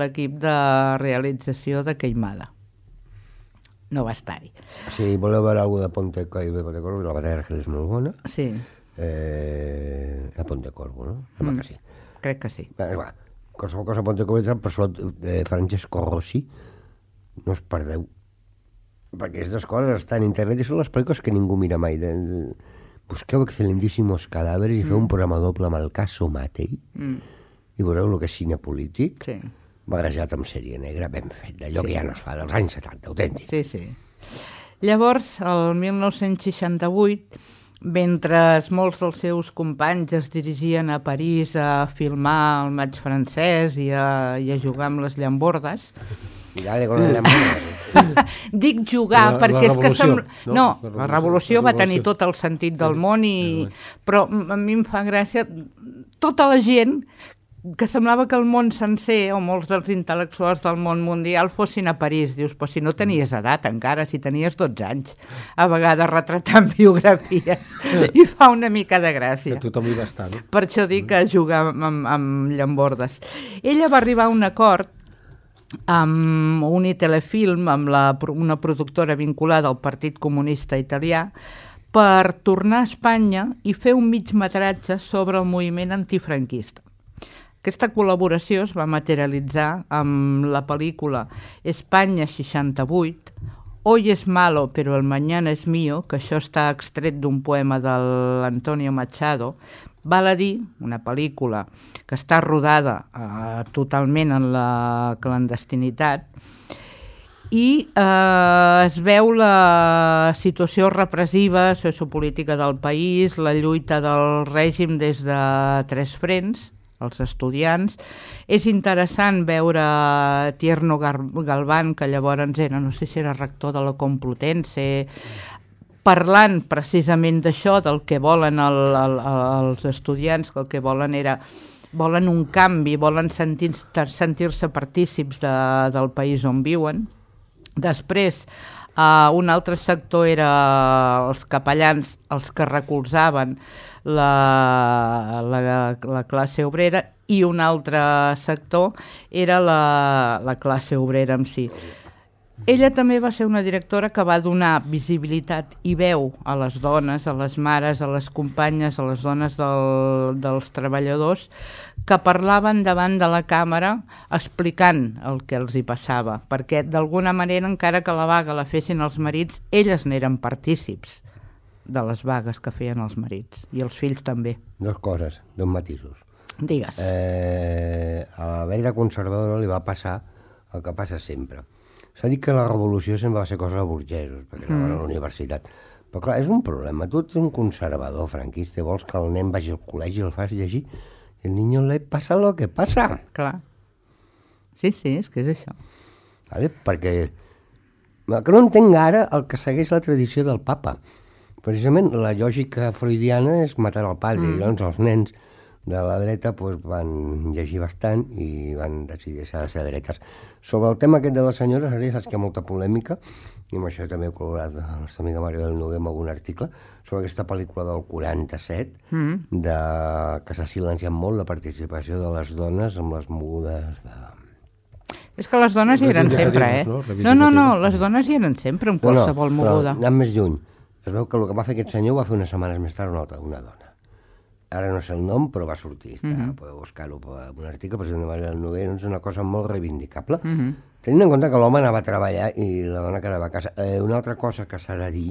l'equip de realització de Queimada. No va estar-hi. Si voleu veure alguna de Ponte de Pontecorvo, la batalla d'Argel és molt bona. Sí, Eh, a Pontecorvo, no? Sembla Mm. que sí. crec que sí. Bé, va, qualsevol cosa a Pontecorvo, però sobretot eh, Francesco Rossi, no us perdeu. Perquè aquestes coses estan a internet i són les pel·lícules que ningú mira mai. De, de, busqueu Excelentísimos Cadàveres i feu un programa doble amb el Caso Matei Mm. i veureu el que és cine polític, Sí. barrejat amb sèrie negra, ben fet, d'allò que ja no es fa, dels anys setanta, autèntic. Sí, sí. Llavors, el mil nou-cents seixanta-vuit, mentre molts dels seus companys es dirigien a París a filmar el maig francès i a, i a jugar amb les llambordes, I dale con la mano. dic jugar La- perquè la és que... revolució, Sembla... no? No, La la revolució, revolució la va tenir revolució. tot el sentit del Sí, món, i... sí. però a mi em fa gràcia tota la gent que semblava que el món sencer, o molts dels intel·lectuals del món mundial, fossin a París. Dius, però si no tenies edat encara, si tenies dotze anys, a vegades retratant biografies, i fa una mica de gràcia. Que tothom hi va estar, no? Per això dic que jugar amb, amb, amb llambordes. Ella va arribar a un acord amb Unitelefilm, amb la, una productora vinculada al Partit Comunista Italià, per tornar a Espanya i fer un migmetratge sobre el moviment antifranquista. Aquesta col·laboració es va materialitzar amb la pel·lícula Espanya seixanta-vuit, Hoy es malo, pero el mañana es mío, que això està extret d'un poema de l'Antonio Machado. Val a dir, una pel·lícula que està rodada eh, totalment en la clandestinitat, i eh, es veu la situació repressiva, sociopolítica del país, la lluita del règim des de tres frents, els estudiants. És interessant veure Tierno Galván, que llavors era, no sé si era rector de la Complutense, parlant precisament d'això, del que volen el, el, els estudiants, que el que volen era volen un canvi, volen sentir, sentir-se partícips de, del país on viuen. Després, uh, un altre sector era els capellans, els que recolzaven la, la, la classe obrera, i un altre sector era la, la classe obrera en si. Ella també va ser una directora que va donar visibilitat i veu a les dones, a les mares, a les companyes, a les dones del, dels treballadors, que parlaven davant de la càmera explicant el que els hi passava, perquè d'alguna manera, encara que la vaga la fessin els marits, elles n'eren partícips de les vagues que feien els marits, i els fills també. Dos coses, dos matisos. Digues. Eh, a la verda conservadora li va passar el que passa sempre. S'ha dit que la revolució sempre va ser cosa de burgesos, perquè mm. anaven a la universitat. Però clar, és un problema. Tu ets un conservador franquista i vols que el nen vagi al col·legi i el fas llegir, i el niño le passa lo que passa. Clar. Sí, sí, és que és això. Vale? Perquè el que no entenc ara el que segueix la tradició del papa. Precisament la lògica freudiana és matar el padre, mm. i llavors els nens de la dreta pues, van llegir bastant i van decidir deixar de ser dretes. Sobre el tema aquest de les senyores, ara ja saps que hi ha molta polèmica, i amb això també he col·laborat la nostra amiga Maria del Noguer amb algun article, sobre aquesta pel·lícula del quaranta-set, mm. de, que s'ha silenciat molt la participació de les dones amb les mogudes de... És que les dones hi eren sempre, eh? No, no, no, les dones hi eren sempre, amb qualsevol no, no, moguda. Anant més lluny, es veu que el que va fer aquest senyor va fer unes setmanes més tard una altra, una dona. Ara no sé el nom, però va sortir. Està, mm-hmm. Podeu buscar-ho en un article, president de Maria del Noguer, és una cosa molt reivindicable. Mm-hmm. Tenint en compte que l'home anava a treballar i la dona quedava a casa. Eh, una altra cosa que s'ha de dir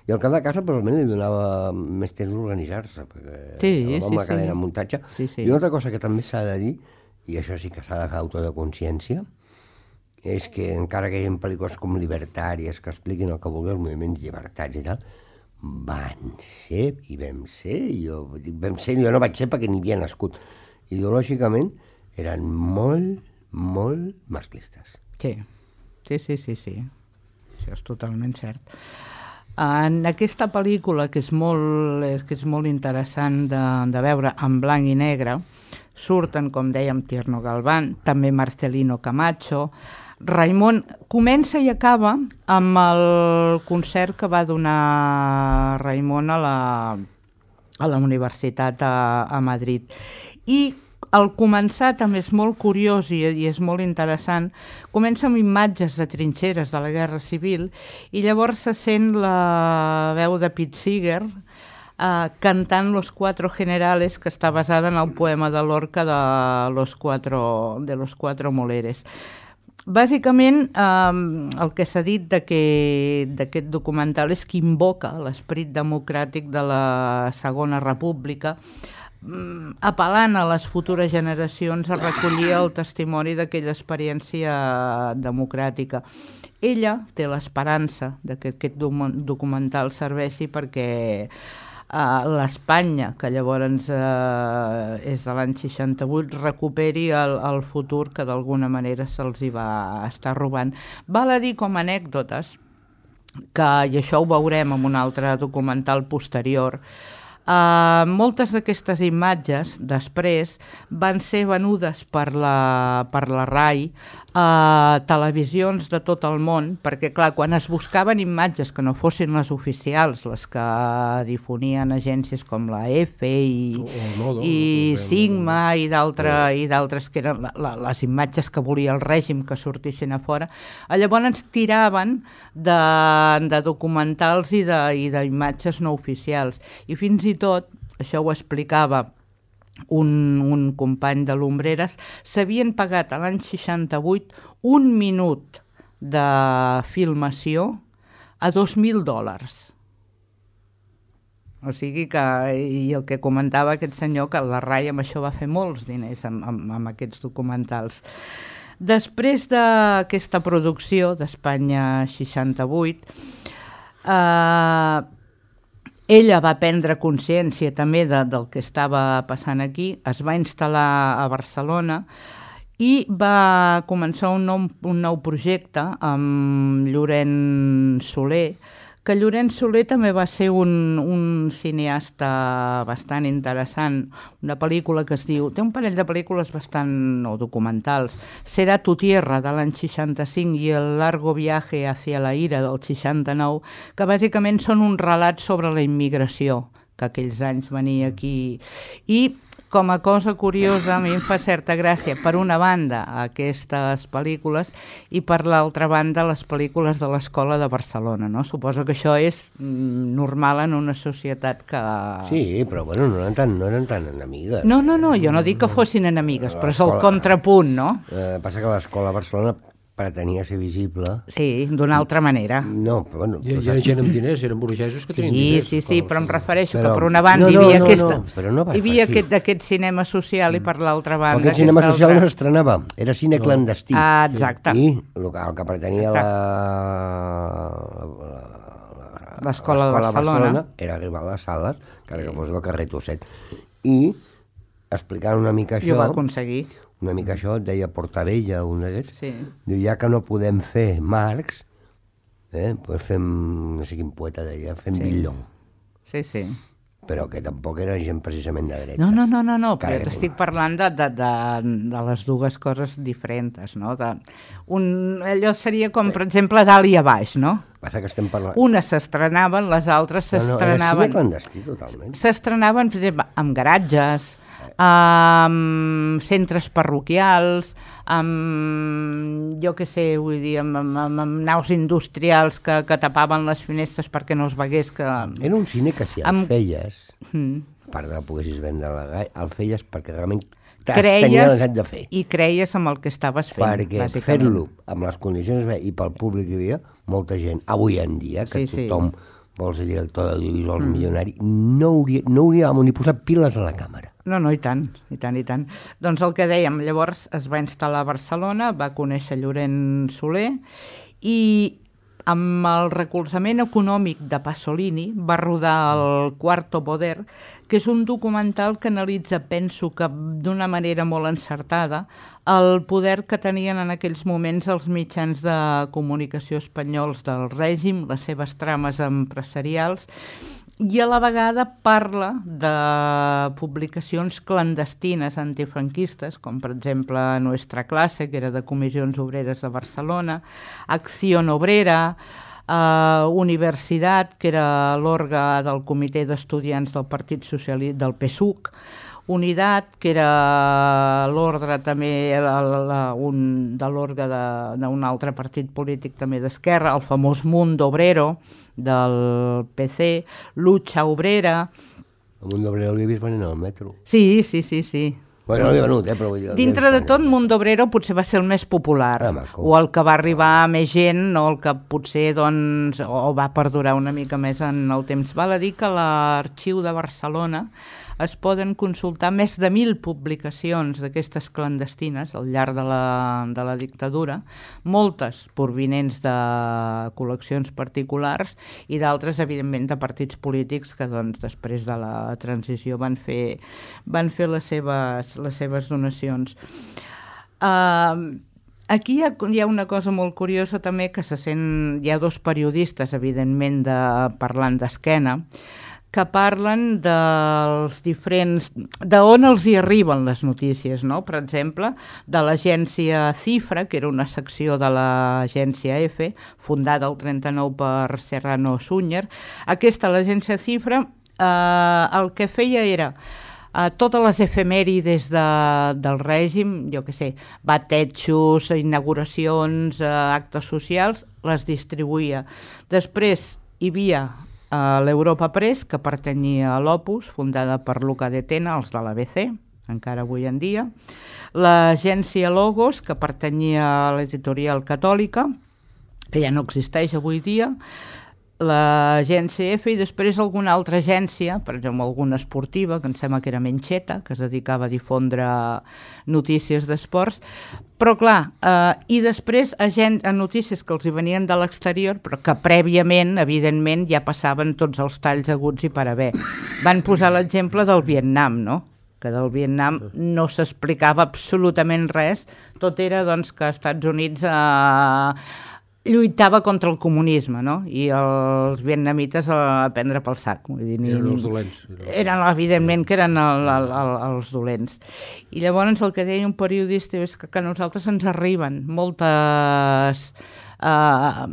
I al cap de casa probablement li donava més temps d'organitzar-se, perquè Sí, amb sí, la cadena sí. de muntatge. Sí, sí. I una altra cosa que també s'ha de dir, i això sí que s'ha de fer auto de consciència, és que encara que hi ha pel·lícules com libertàries que expliquin el que vulgui, els moviments llibertats i tal, van ser, i vam ser, jo dic vam ser, jo no vaig ser perquè ni havia nascut. Ideològicament eren molt, molt masclistes. Sí, sí, sí, sí, sí. Això és totalment cert. En aquesta pel·lícula, que és molt, és, que és molt interessant de, de veure en blanc i negre, surten, com dèiem, Tierno Galván, també Marcelino Camacho. Raimon comença i acaba amb el concert que va donar Raimon a la, a la universitat a, a Madrid. I al començar també és molt curiós i, i és molt interessant, comença amb imatges de trinxeres de la Guerra Civil i llavors se sent la veu de Pete Seeger eh, cantant Los Cuatro Generales, que està basada en el poema de Lorca de Los Cuatro, de los Cuatro Moleres. Bàsicament, eh, el que s'ha dit d'aquest documental és que invoca l'esperit democràtic de la Segona República, apel·lant a les futures generacions a recollir el testimoni d'aquella experiència democràtica. Ella té l'esperança que aquest documental serveixi perquè Uh, l'Espanya, que llavors uh, és de l'any seixanta-vuit, recuperi el, el futur que d'alguna manera se'ls hi va estar robant. Val a dir com a anècdotes, que, i això ho veurem en un altre documental posterior, uh, moltes d'aquestes imatges després van ser venudes per la, per la R A I a televisions de tot el món, perquè clar, quan es buscaven imatges que no fossin les oficials, les que difonien agències com la EFE i, O el Nodo, i o- Sigma i d'altres i d'altres que eren la, la, les imatges que volia el règim que sortissin a fora, llavors ens tiraven de, de documentals i de- i d'imatges no oficials. I fins i tot, això ho explicava un, un company de l'Ombreres, s'havien pagat a l'any seixanta-vuit un minut de filmació a dos mil dòlars. O sigui que, i el que comentava aquest senyor, que la R A I amb això va fer molts diners amb, amb, amb aquests documentals. Després d'aquesta producció d'Espanya seixanta-vuit, eh, ella va prendre consciència també de, del que estava passant aquí, es va instal·lar a Barcelona i va començar un nou, un nou projecte amb Llorenç Soler, que Llorenç Soler també va ser un, un cineasta bastant interessant, una pel·lícula que es diu, té un parell de pel·lícules bastant, o documentals, Será tu tierra, de l'any seixanta-cinc, i El largo viaje hacia la ira, del seixanta-nou, que bàsicament són un relat sobre la immigració, que aquells anys venia aquí. I com a cosa curiosa, a mi em fa certa gràcia, per una banda, aquestes pel·lícules, i per l'altra banda, les pel·lícules de l'Escola de Barcelona, no? Suposo que això és mm, normal en una societat que... Sí, però bueno, no eren tan, no eren tan enemigues. No, no, no, jo no dic que fossin enemigues, però és el L'escola- contrapunt, no? Eh, passa que l'Escola de Barcelona pretenia ser visible. Sí, d'una altra manera. No, però bueno... Hi, però hi ha saps- gent amb diners, eren burgesos que tenien Sí, diners. sí, sí, però em refereixo Però- que per una banda no, hi no, havia, no, aquesta, no, però no va hi havia per aquí. aquest, aquest cinema social i per l'altra Però banda... aquest cinema aquesta social altra- no s'estrenava, era cine No. clandestí. Ah, exacte. I el que, el que pretenia la, L'Escola de Barcelona. era arribar a les sales, encara que fos del carrer Tosset. I, explicant una mica I ho això, va aconseguir. una mica això, et deia Portavella, un d'aquests, Sí. diu, ja que no podem fer Marx, eh, doncs fem, no sé quin poeta deia, fem Sí. Villon, Sí, sí. però que tampoc era gent precisament de dreta. No, no, no, no, no, però Carai, t'estic parlant de, de, de, de les dues coses diferents, no? De, un, allò seria com, per exemple, dalt i a baix, no? Passa que estem parlant... Unes s'estrenaven, les altres no, no, era cine s'estrenaven... clandestí, totalment. S'estrenaven, per exemple, amb garatges, amb centres parroquials, amb, jo què sé, vull dir, amb, amb, amb, amb naus industrials que, que tapaven les finestres perquè no es vegués que... Era un cine que si el Amb- feies, Mm. a part de que poguessis vendre la gai, el feies perquè realment t'has tenia Creies necessitat de fer. i creies amb el que estaves fent, Perquè bàsicament. fer-lo amb les condicions que i pel públic que hi havia, molta gent, avui en dia, que Sí, sí. tothom vols dir director d'audiovisuals mm. milionari, no, hauria, no hauríem ni posat piles a la càmera. No, no, i tant, i tant, i tant. Doncs el que dèiem, llavors es va instal·lar a Barcelona, va conèixer Llorenç Soler i amb el recolzament econòmic de Pasolini va rodar el Quarto Poder, que és un documental que analitza, penso que d'una manera molt encertada, el poder que tenien en aquells moments els mitjans de comunicació espanyols del règim, les seves trames empresarials, i a la vegada parla de publicacions clandestines antifranquistes, com per exemple Nuestra Clase, que era de Comissions Obreres de Barcelona, Acción Obrera, eh, Universitat, que era l'òrgan del Comitè d'Estudiants del Partit Socialista, del P S U C, Unitat, que era l'ordre també la, la, un, de l'òrgan d'un altre partit polític també d'esquerra, el famós Mundo Obrero del P C, Lucha Obrera. El Mundo Obrero l'he vist venint al metro. Sí, sí, sí, sí. Bueno, no l'he venut, eh, però vull dir... Dintre de tot, Mundo Obrero potser va ser el més popular, ah, o el que va arribar a més gent, o el que potser doncs, o va perdurar una mica més en el temps. Val a dir que a l'Arxiu de Barcelona es poden consultar més de mil publicacions d'aquestes clandestines al llarg de la, de la dictadura, moltes provinents de col·leccions particulars i d'altres, evidentment, de partits polítics que doncs, després de la transició van fer, van fer les, seves, les seves donacions. Uh, Aquí hi ha, hi ha una cosa molt curiosa també, que se sent, hi ha dos periodistes, evidentment, de, parlant d'esquena, que parlen dels diferents... d'on els hi arriben les notícies, no? Per exemple, de l'agència Cifra, que era una secció de l'agència F, fundada el trenta-nou per Serrano Súñer. Aquesta, l'agència Cifra, eh, el que feia era... Uh, totes les efemèrides de, del règim, jo què sé, batejos, inauguracions, uh, actes socials, les distribuïa. Després hi havia uh, l'Europa Press, que pertanyia a l'Opus, fundada per Luca de Tena, els de l'A B C, encara avui en dia. L'agència Logos, que pertanyia a l'editorial catòlica, que ja no existeix avui dia. L'agència F i després alguna altra agència, per exemple alguna esportiva, que em sembla que era Mencheta, que es dedicava a difondre notícies d'esports, però clar, eh, i després a, gent, a notícies que els hi venien de l'exterior, però que prèviament, evidentment, ja passaven tots els talls aguts i per haver. Van posar l'exemple del Vietnam, no? Que del Vietnam no s'explicava absolutament res, tot era doncs, que als Estats Units... Eh, lluitava contra el comunisme, no? I els vietnamites a prendre pel sac. Vull dir, ni, eren els dolents. Eren, evidentment, que eren el, el, el, els dolents. I llavors el que deia un periodista és que, que a nosaltres ens arriben moltes eh,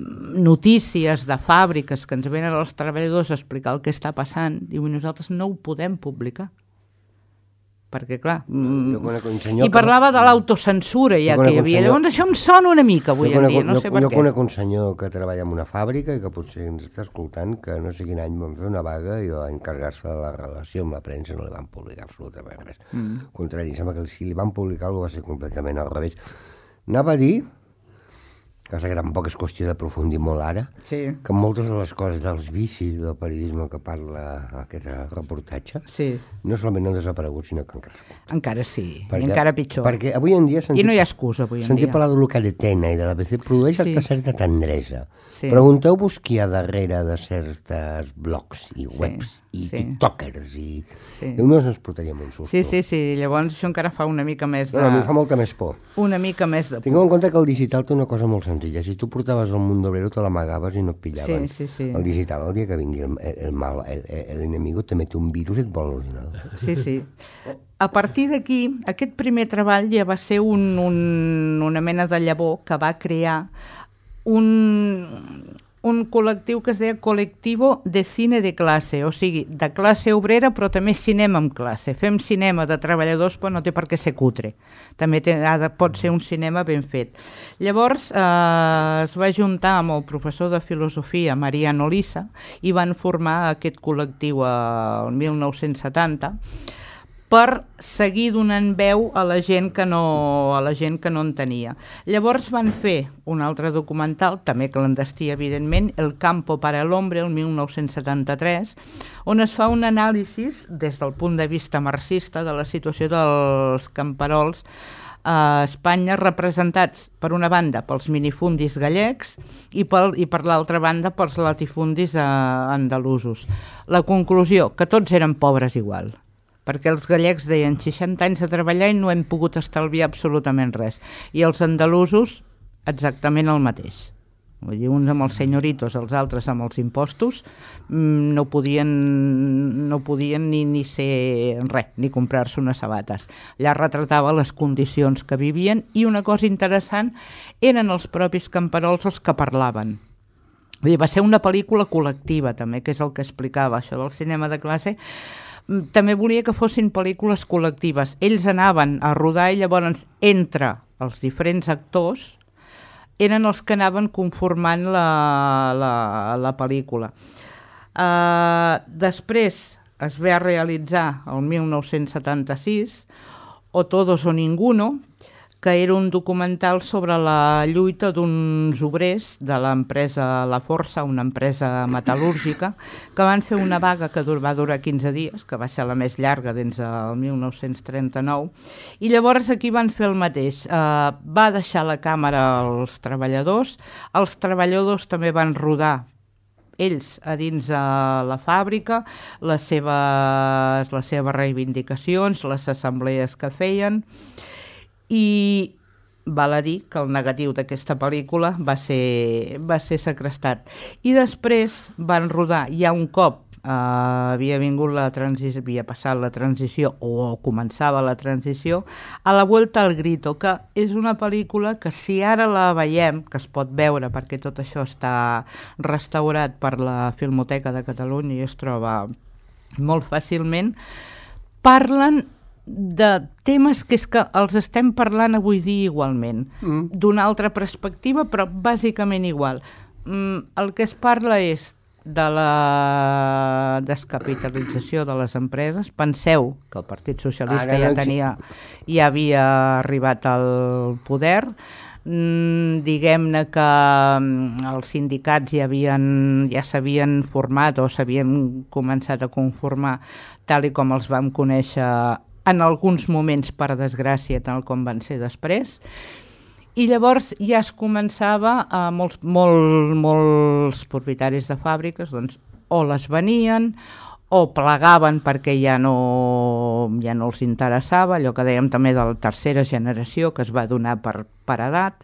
notícies de fàbriques que ens venen als treballadors a explicar el que està passant, i nosaltres no ho podem publicar. Perquè, clar... Mm, I parlava de l'autocensura ja que hi havia. Llavors això em sona una mica avui en dia, no sé per què. Jo conec un senyor que treballa en una fàbrica i que potser ens està escoltant, que no sé quin any van fer una vaga i va encarregar-se de la relació amb la premsa, no li van publicar absolutament res. Mm. Al contrari, sembla que si li van publicar algú va ser completament al revés. Anava a dir, que tampoc és qüestió d'aprofundir molt ara, sí. que moltes de les coses dels vicis del periodisme que parla aquest reportatge, sí. no solament no han desaparegut, sinó que han crescut. Encara sí, perquè, i encara pitjor. Perquè avui en dia... I no hi ha excusa, avui en dia. Sentir parlar de Luca de Tena i de l'A B C produeix sí. certa tendresa. Sí. Pregunteu-vos qui hi ha darrere de certes blogs i webs sí. i sí. tiktokers i... Sí. I només ens portaríem un susto. Sí, sí, sí. Llavors això encara fa una mica més de... No, no, a mi fa molta més por. Una mica més de por. Tingueu en compte que el digital té una cosa molt senzilla. Si tu portaves el Mundo Obrero te l'amagaves i no et pillaven. Sí, sí, sí. El digital, el dia que vingui el, el mal, el, el enemigo te mete un virus i et vol l'ordinador. Sí, sí. A partir d'aquí, aquest primer treball ja va ser un, un, una mena de llavor que va crear un... un col·lectiu que es deia Colectivo de Cine de Classe, o sigui, de classe obrera, però també cinema amb classe. Fem cinema de treballadors, però no té per què ser cutre. També té, ha de, pot ser un cinema ben fet. Llavors eh, es va juntar amb el professor de filosofia, Mariano Lisa, i van formar aquest col·lectiu el mil nou-cents setanta, per seguir donant veu a la gent que no, a la gent que no en tenia. Llavors van fer un altre documental, també clandestí evidentment, El campo para el hombre, el mil nou-cents setanta-tres, on es fa un anàlisi des del punt de vista marxista de la situació dels camperols a Espanya, representats per una banda pels minifundis gallecs i, pel, i per l'altra banda pels latifundis eh, andalusos. La conclusió, que tots eren pobres igual, perquè els gallecs deien seixanta anys de treballar i no hem pogut estalviar absolutament res, i els andalusos exactament el mateix. Vull dir, uns amb els senyoritos, els altres amb els impostos, no podien, no podien ni, ni ser res, ni comprar-se unes sabates. Allà retratava les condicions que vivien, i una cosa interessant, eren els propis camperols els que parlaven. Vull dir, va ser una pel·lícula col·lectiva també, que és el que explicava això del cinema de classe. També volia que fossin pel·lícules col·lectives. Ells anaven a rodar i llavors entre els diferents actors eren els que anaven conformant la, la, la pel·lícula. Uh, després es va realitzar el mil nou-cents setanta-sis O Todos o Ninguno, que era un documental sobre la lluita d'uns obrers de l'empresa La Força, una empresa metal·lúrgica, que van fer una vaga que va durar quinze dies, que va ser la més llarga dins el mil nou-cents trenta-nou, i llavors aquí van fer el mateix. Uh, va deixar la càmera als treballadors, els treballadors també van rodar ells a dins de la fàbrica, les seves, les seves reivindicacions, les assemblees que feien, i val a dir que el negatiu d'aquesta pel·lícula va ser, va ser segrestat. I després van rodar, ja un cop eh, havia vingut la transició, havia passat la transició o començava la transició, A la vuelta al grito, que és una pel·lícula que si ara la veiem, que es pot veure perquè tot això està restaurat per la Filmoteca de Catalunya i es troba molt fàcilment, parlen de temes que és que els estem parlant avui dia igualment, mm. d'una altra perspectiva, però bàsicament igual. Mm, el que es parla és de la descapitalització de les empreses. Penseu que el Partit Socialista ah, no, ja tenia, ja havia arribat al poder, mm, diguem-ne que els sindicats ja havien, ja s'havien format o s'havien començat a conformar tal i com els vam conèixer en alguns moments, per desgràcia, tal com van ser després, i llavors ja es començava a molts, molt, molts propietaris de fàbriques, doncs, o les venien o plegaven perquè ja no, ja no els interessava, allò que dèiem també de la tercera generació que es va donar per, per edat,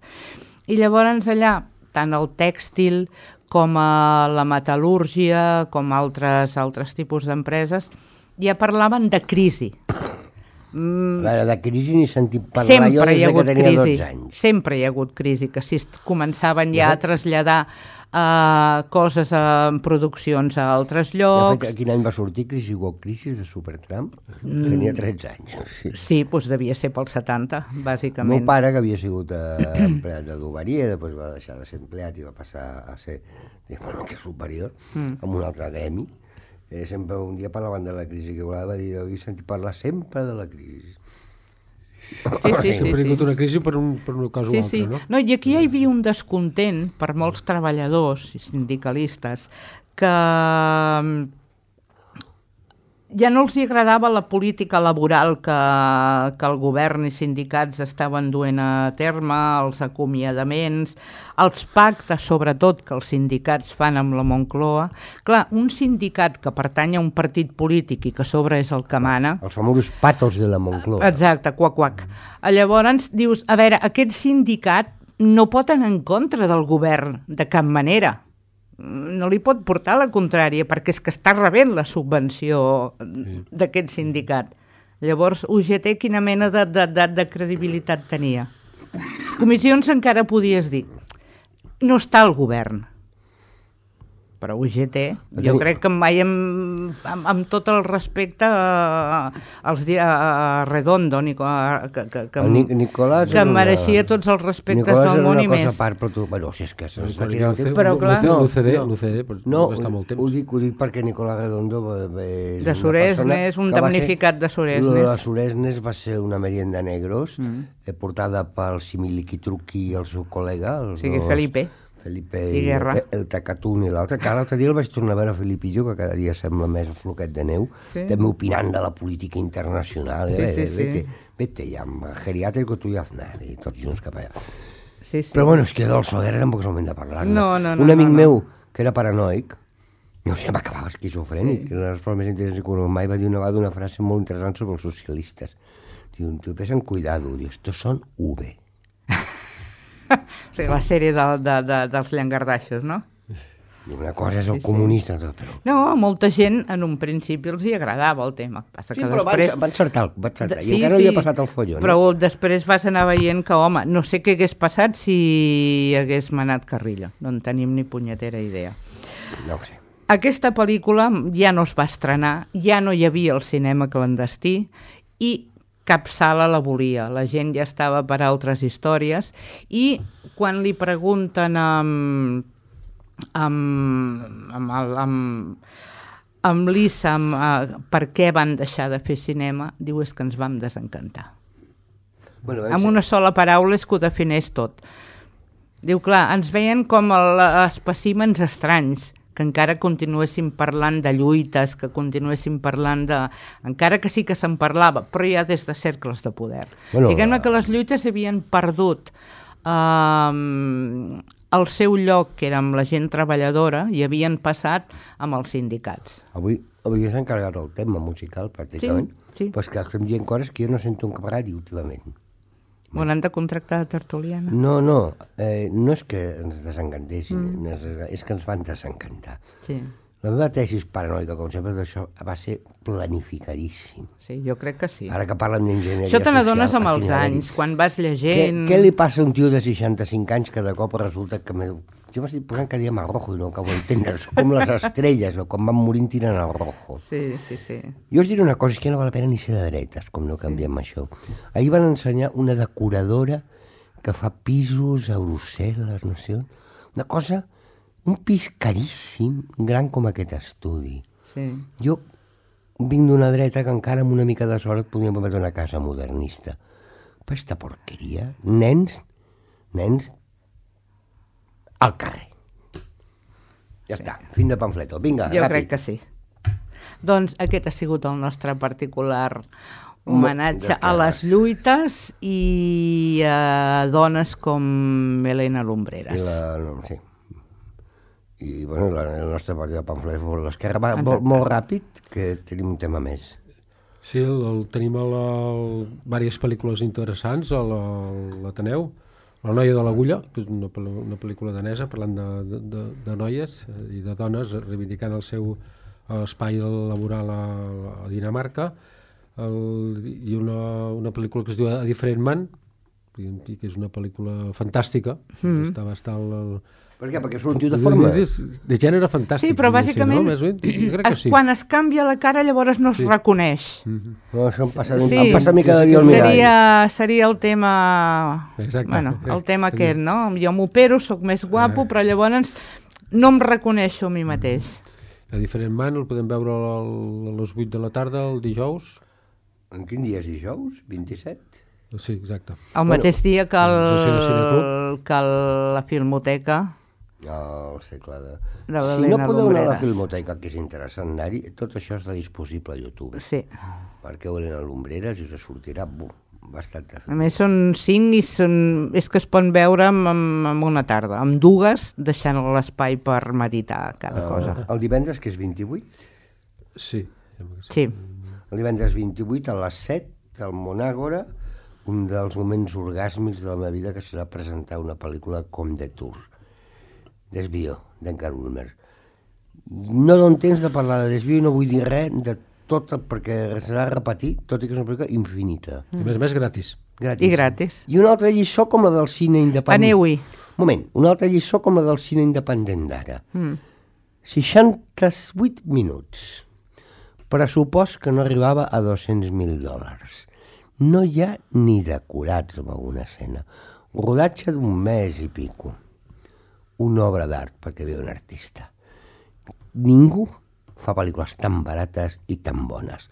i llavors allà, tant el tèxtil com a la metal·lúrgia, com altres, altres tipus d'empreses, ja parlaven de crisi. Mm. A veure, de crisi ni sentit parlar sempre jo des que tenia crisi. dotze anys. Sempre hi ha hagut crisi, que si començaven ja a traslladar uh, coses en produccions a altres llocs. De fet, quin any va sortir Crisi o Crisis de Supertramp? Mm. Tenia tretze anys. Sí, sí, doncs devia ser pel setanta, bàsicament. El meu pare, que havia sigut eh, empleat de Duberia, després va deixar de ser empleat i va passar a ser una mica superior, mm. amb un altre gremi. Eh, sempre un dia parlaven de la crisi, que va dir, he sentit parlar sempre de la crisi. Sí, sí, sí. Sempre sí, ha sí. una crisi per, un, per una cosa sí, o altra, sí. no? No, i aquí hi havia un descontent per molts treballadors i sindicalistes que ja no els agradava la política laboral que, que el govern i sindicats estaven duent a terme, els acomiadaments, els pactes, sobretot, que els sindicats fan amb la Moncloa. Clar, un sindicat que pertany a un partit polític i que a sobre és el que mana... Els famosos patos de la Moncloa. Exacte, quac, quac. Llavors dius, a veure, aquest sindicat no pot anar en contra del govern de cap manera. No li pot portar la contrària, perquè és que està rebent la subvenció sí. d'aquest sindicat. Llavors, U G T quina mena de, de, de, de credibilitat tenia? Comissions encara podies dir, no està el govern, però U G T, jo crec que mai amb, amb, amb tot el respecte a, als, a Redondo, Nico, a, que, que, que, Nic Nicolás que mereixia una... tots els respectes Nicolás del món i més. Nicolás era una cosa a part, però tu... Bueno, si és que s'està tirant... Però clar... L'U C D, l'U C D, no, va estar molt temps. Ho dic, ho dic perquè Nicolás Redondo és de Suresnes, un damnificat de Suresnes. Lo de Suresnes va ser una merienda negros, mm. portada pel Similiquitruqui i el seu col·lega. Els sí, dos, Felipe. Felipe i, i el, el Tacatún i l'altre. Que l'altre dia el vaig tornar a veure a Felipillo, que cada dia sembla més un floquet de neu, sí. també opinant de la política internacional. Sí, eh? sí, sí. Vete, vete ja, amb el geriàtrico tu i Aznar, i tots junts cap allà. Sí, sí. Però bueno, és que del Soguera tampoc és el moment de parlar. No, no, no. Un amic no, no. meu, que era paranoic, no sé, m'acabava esquizofrènic, sí. Una de les formes més interessants que mai va dir una vegada una frase molt interessant sobre els socialistes. Diu, tu pesen cuidado, diu, estos son V. Sí, la sèrie de, de, de, dels llangardaixos, no? Una cosa és el sí, sí. comunista, tot, però... No, a molta gent en un principi els hi agradava el tema. Passa sí, que però després... van, van encertar, van encertar. I sí, encara no sí, havia passat el follon. Però no? després vas anar veient que, home, no sé què hagués passat si hagués manat Carrillo. No en tenim ni punyetera idea. No ho sé. Aquesta pel·lícula ja no es va estrenar, ja no hi havia el cinema clandestí i cap sala la volia, la gent ja estava per altres històries i quan li pregunten amb, amb, amb, el, amb, amb l'Issa amb, uh, per què van deixar de fer cinema, diu és que ens vam desencantar. Bueno, amb una sola paraula és que ho defineix tot. Diu, clar, ens veien com el, espècimens estranys, que encara continuéssim parlant de lluites, que continuéssim parlant de... Encara que sí que se'n parlava, però ja des de cercles de poder. Bueno, diguem-ne que les lluites havien perdut eh, el seu lloc, que era amb la gent treballadora, i havien passat amb els sindicats. Avui, avui s'ha encarregat el tema musical, pràcticament. Sí, sí. Però és que estem dient coses que jo no sento un camaradi últimament. On han de contractar de tertuliana? No, no, eh, no és que ens desencantessin, mm. és que ens van desencantar. Sí. La meva tesis paranoica, com sempre, d'això va ser planificadíssim. Sí, jo crec que sí. Ara que parlen d'enginyeria social... Això te n'adones amb els anys, quan vas llegint... Què, què li passa a un tio de seixanta-cinc anys que de cop resulta que... Me... Jo m'estic posant cada dia amb el rojo i no acabo d'entendre. Són com les estrelles, no? Quan van morint tiren el rojo. Sí, sí, sí. Jo us diré una cosa, és que no val la pena ni ser de dretes, com no canviem sí. això. Ahir van ensenyar una decoradora que fa pisos a Brussel·les, no sé on. Una cosa, un pis caríssim, gran com aquest estudi. Sí. Jo vinc d'una dreta que encara amb una mica de sort podíem permetre una casa modernista. Però aquesta porqueria, nens, nens, al carrer. Ja sí. està, fin de pamfleto. Vinga, jo ràpid. crec que sí. Doncs aquest ha sigut el nostre particular homenatge a les lluites i a dones com Elena Lumbreras. I la, no, sí. I bueno, la, el nostre partit de pamflet de l'esquerra va molt, molt ràpid, que tenim un tema més. Sí, el, el, tenim a la, el, diverses pel·lícules interessants a l'Ateneu. La noia de l'agulla, que és una, una pel·lícula danesa parlant de, de, de, de noies i de dones reivindicant el seu espai laboral a, a Dinamarca, el, i una, una pel·lícula que es diu A Different Man, que és una pel·lícula fantàstica, mm. està bastant... El, per què? Perquè surt un tio de forma? De, de gènere fantàstic. Sí, però bàsicament, no? Jo crec que sí. Quan es canvia la cara llavors no es sí. reconeix. Mm-hmm. No, això em passa, sí. em passa a mi cada dia al mirall. Seria, seria el tema... Exacte. Bueno, el tema sí. aquest, no? Jo m'opero, sóc més guapo, eh. però llavors no em reconeixo a mi mateix. A Different Man el podem veure a les vuit de la tarda, el dijous. En quin dia és dijous? vint-i-set? Sí, exacte. El bueno, mateix dia que, el, que el, la Filmoteca... Oh, el segle de... de si no podeu anar a la Filmoteca, que és interessant anar-hi, tot això està disponible a YouTube. Sí. Marqueu Elena Lumbreras i us sortirà bum, bastant. A més són cinc i són... és que es poden veure en, en una tarda, amb dues, deixant l'espai per meditar cada uh, cosa. El divendres, que és vint-i-vuit? Sí. Sí. El divendres vint-i-vuit a les set, al Monàgora, un dels moments orgàsmics de la meva vida, que serà presentar una pel·lícula com The Tour. Desvio, d'Edgar Ulmer. No dono temps de parlar de Desvio i no vull dir res de tot, perquè serà repetir, tot i que és una pel·lícula infinita. Mm. I més, més gratis. gratis. I gratis. I una altra lliçó com la del cine independent. Aneu-hi. Moment, una altra lliçó com la del cine independent d'ara. Mm. seixanta-vuit minuts. Pressupost que no arribava a dos-cents mil dòlars. No hi ha ni decorats en alguna escena. Rodatge d'un mes i pico. Una obra d'art perquè ve un artista. Ningú fa pel·lícules tan barates i tan bones.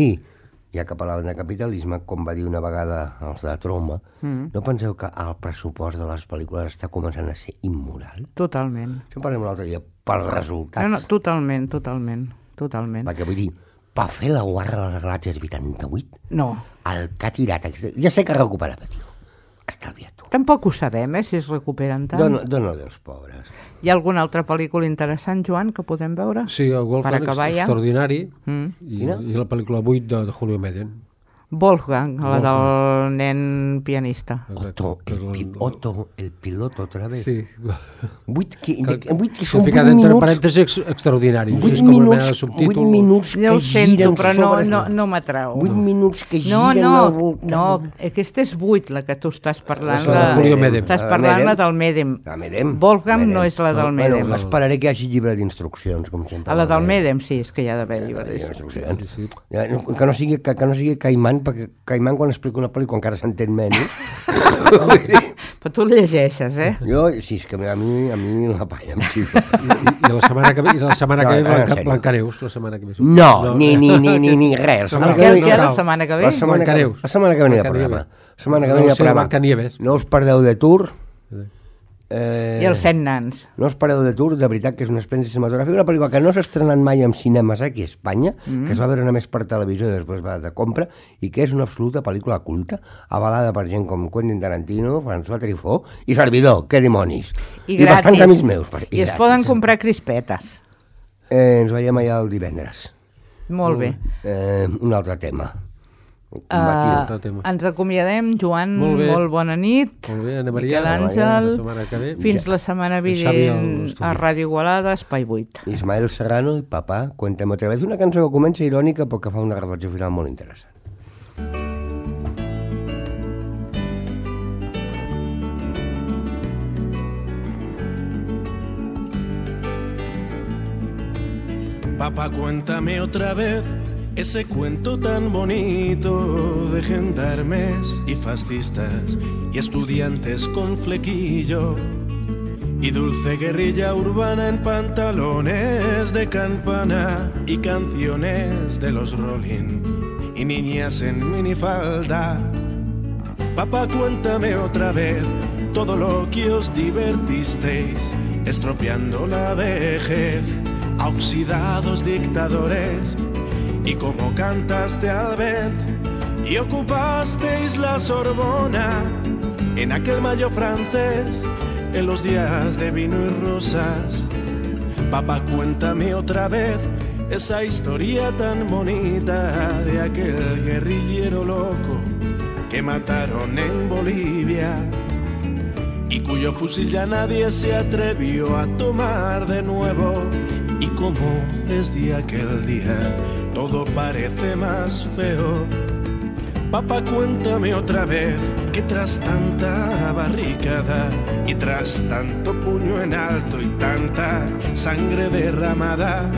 I, ja que parlaven de capitalisme, com va dir una vegada els de Troma, mm. no penseu que el pressupost de les pel·lícules està començant a ser immoral? Totalment. Això en parlem l'altre dia, pels resultats. No, no, totalment, totalment, totalment. Perquè vull dir, per fer la guarra de les galàxies vuitanta-vuit, no. El que ha tirat, ja sé que recuperava, tio. Estalvia-t'ho. Tampoc ho sabem, eh, si es recuperen tant. Dóna, dóna dels pobres. Hi ha alguna altra pel·lícula interessant, Joan, que podem veure? Sí, el Wolfgang Extraordinari mm. i, i la pel·lícula vuit de, de Julio Medem. Wolfgang, la del nen pianista. Otto, el, pi, Otto, el piloto, otra vez. Sí. Vuit que, que, vuit que són vuit minuts... entre parèntesis extraordinaris. Vuit és com minuts, vuit minuts que no giren sento, però no, sobre... no, no m'atrau. Vuit minuts que no, giren no, al voltant. No, aquesta és vuit, la que tu estàs parlant. La de Julio Medem. Estàs parlant la del Medem. La Medem. Wolfgang Medem. no és la del no, Medem. Bueno, esperaré que hi hagi llibre d'instruccions, com sempre. A la del Medem, sí, és que hi ha d'haver llibre d'instruccions. Sí, sí. Que no sigui, que, que no sigui Caimán, perquè Caimán quan explica una pel·lícula encara s'entén menys. Però tu llegeixes, eh? Jo, sí, és que a mi, a mi la palla em xifra. I, i, la setmana que ve, i la setmana que ve Blanca, Blancaneus, la setmana que ve. No, no ni, ni, ni, ni, ni res. El que hi ha la setmana que ve? La setmana que, la setmana que ve hi ha programa. La setmana que ve hi ha programa. No us perdeu de Tour. Eh, I els set nans. No us pareu de Tour, de veritat que és una experiència cinematogràfica, una pel·lícula que no s'ha estrenat mai en cinemes aquí a Espanya, mm. que es va veure només per televisió i després va de compra, i que és una absoluta pel·lícula culta, avalada per gent com Quentin Tarantino, François Truffaut i servidor, que dimonis. I, I bastants amics meus. Per, I, I es poden comprar crispetes. Eh, ens veiem allà el divendres. Molt bé. Eh, un altre tema. Uh, ens acomiadem, Joan, molt, molt bona nit. Molt bé, Ana Maria, Miquel Àngel, la fins la setmana vinent a Ràdio Igualada, Espai vuit. Ismael Serrano i Papà, Cuéntame otra vez, una cançó que comença irònica però que fa una reflexió final molt interessant. Papá, cuéntame otra vez ese cuento tan bonito de gendarmes y fascistas y estudiantes con flequillo y dulce guerrilla urbana en pantalones de campana y canciones de los Rolling y niñas en minifalda. Papá, cuéntame otra vez todo lo que os divertisteis estropeando la vejez a oxidados dictadores y como cantaste al vent y ocupasteis la Sorbona en aquel mayo francés en los días de vino y rosas. Papá, cuéntame otra vez esa historia tan bonita de aquel guerrillero loco que mataron en Bolivia y cuyo fusil ya nadie se atrevió a tomar de nuevo, y como desde aquel día todo parece más feo. Papá, cuéntame otra vez que tras tanta barricada y tras tanto puño en alto y tanta sangre derramada,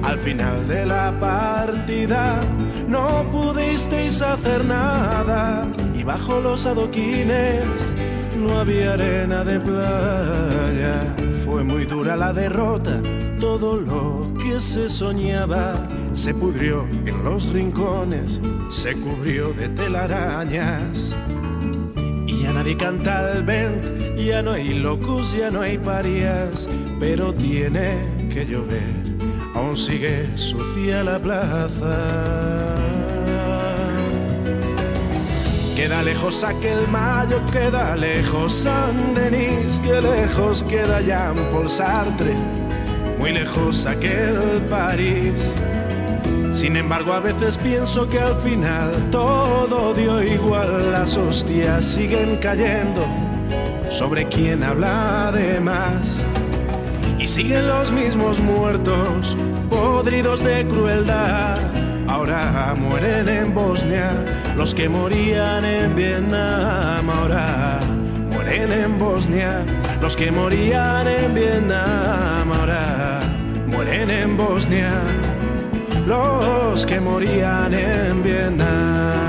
al final de la partida no pudisteis hacer nada y bajo los adoquines no había arena de playa. Fue muy dura la derrota, todo lo que se soñaba se pudrió en los rincones, se cubrió de telarañas. Y ya nadie canta al vent, ya no hay locos, ya no hay parias, pero tiene que llover, aún sigue sucia la plaza. Queda lejos aquel mayo, queda lejos Saint-Denis, que lejos queda Jean-Paul Sartre, muy lejos aquel París. Sin embargo, a veces pienso que al final todo dio igual, las hostias siguen cayendo sobre quien habla de más. Y siguen los mismos muertos, podridos de crueldad. Ahora mueren en Bosnia los que morían en Vietnam. Ahora mueren en Bosnia los que morían en Vietnam. Ahora en Bosnia, los que morían en Vietnam.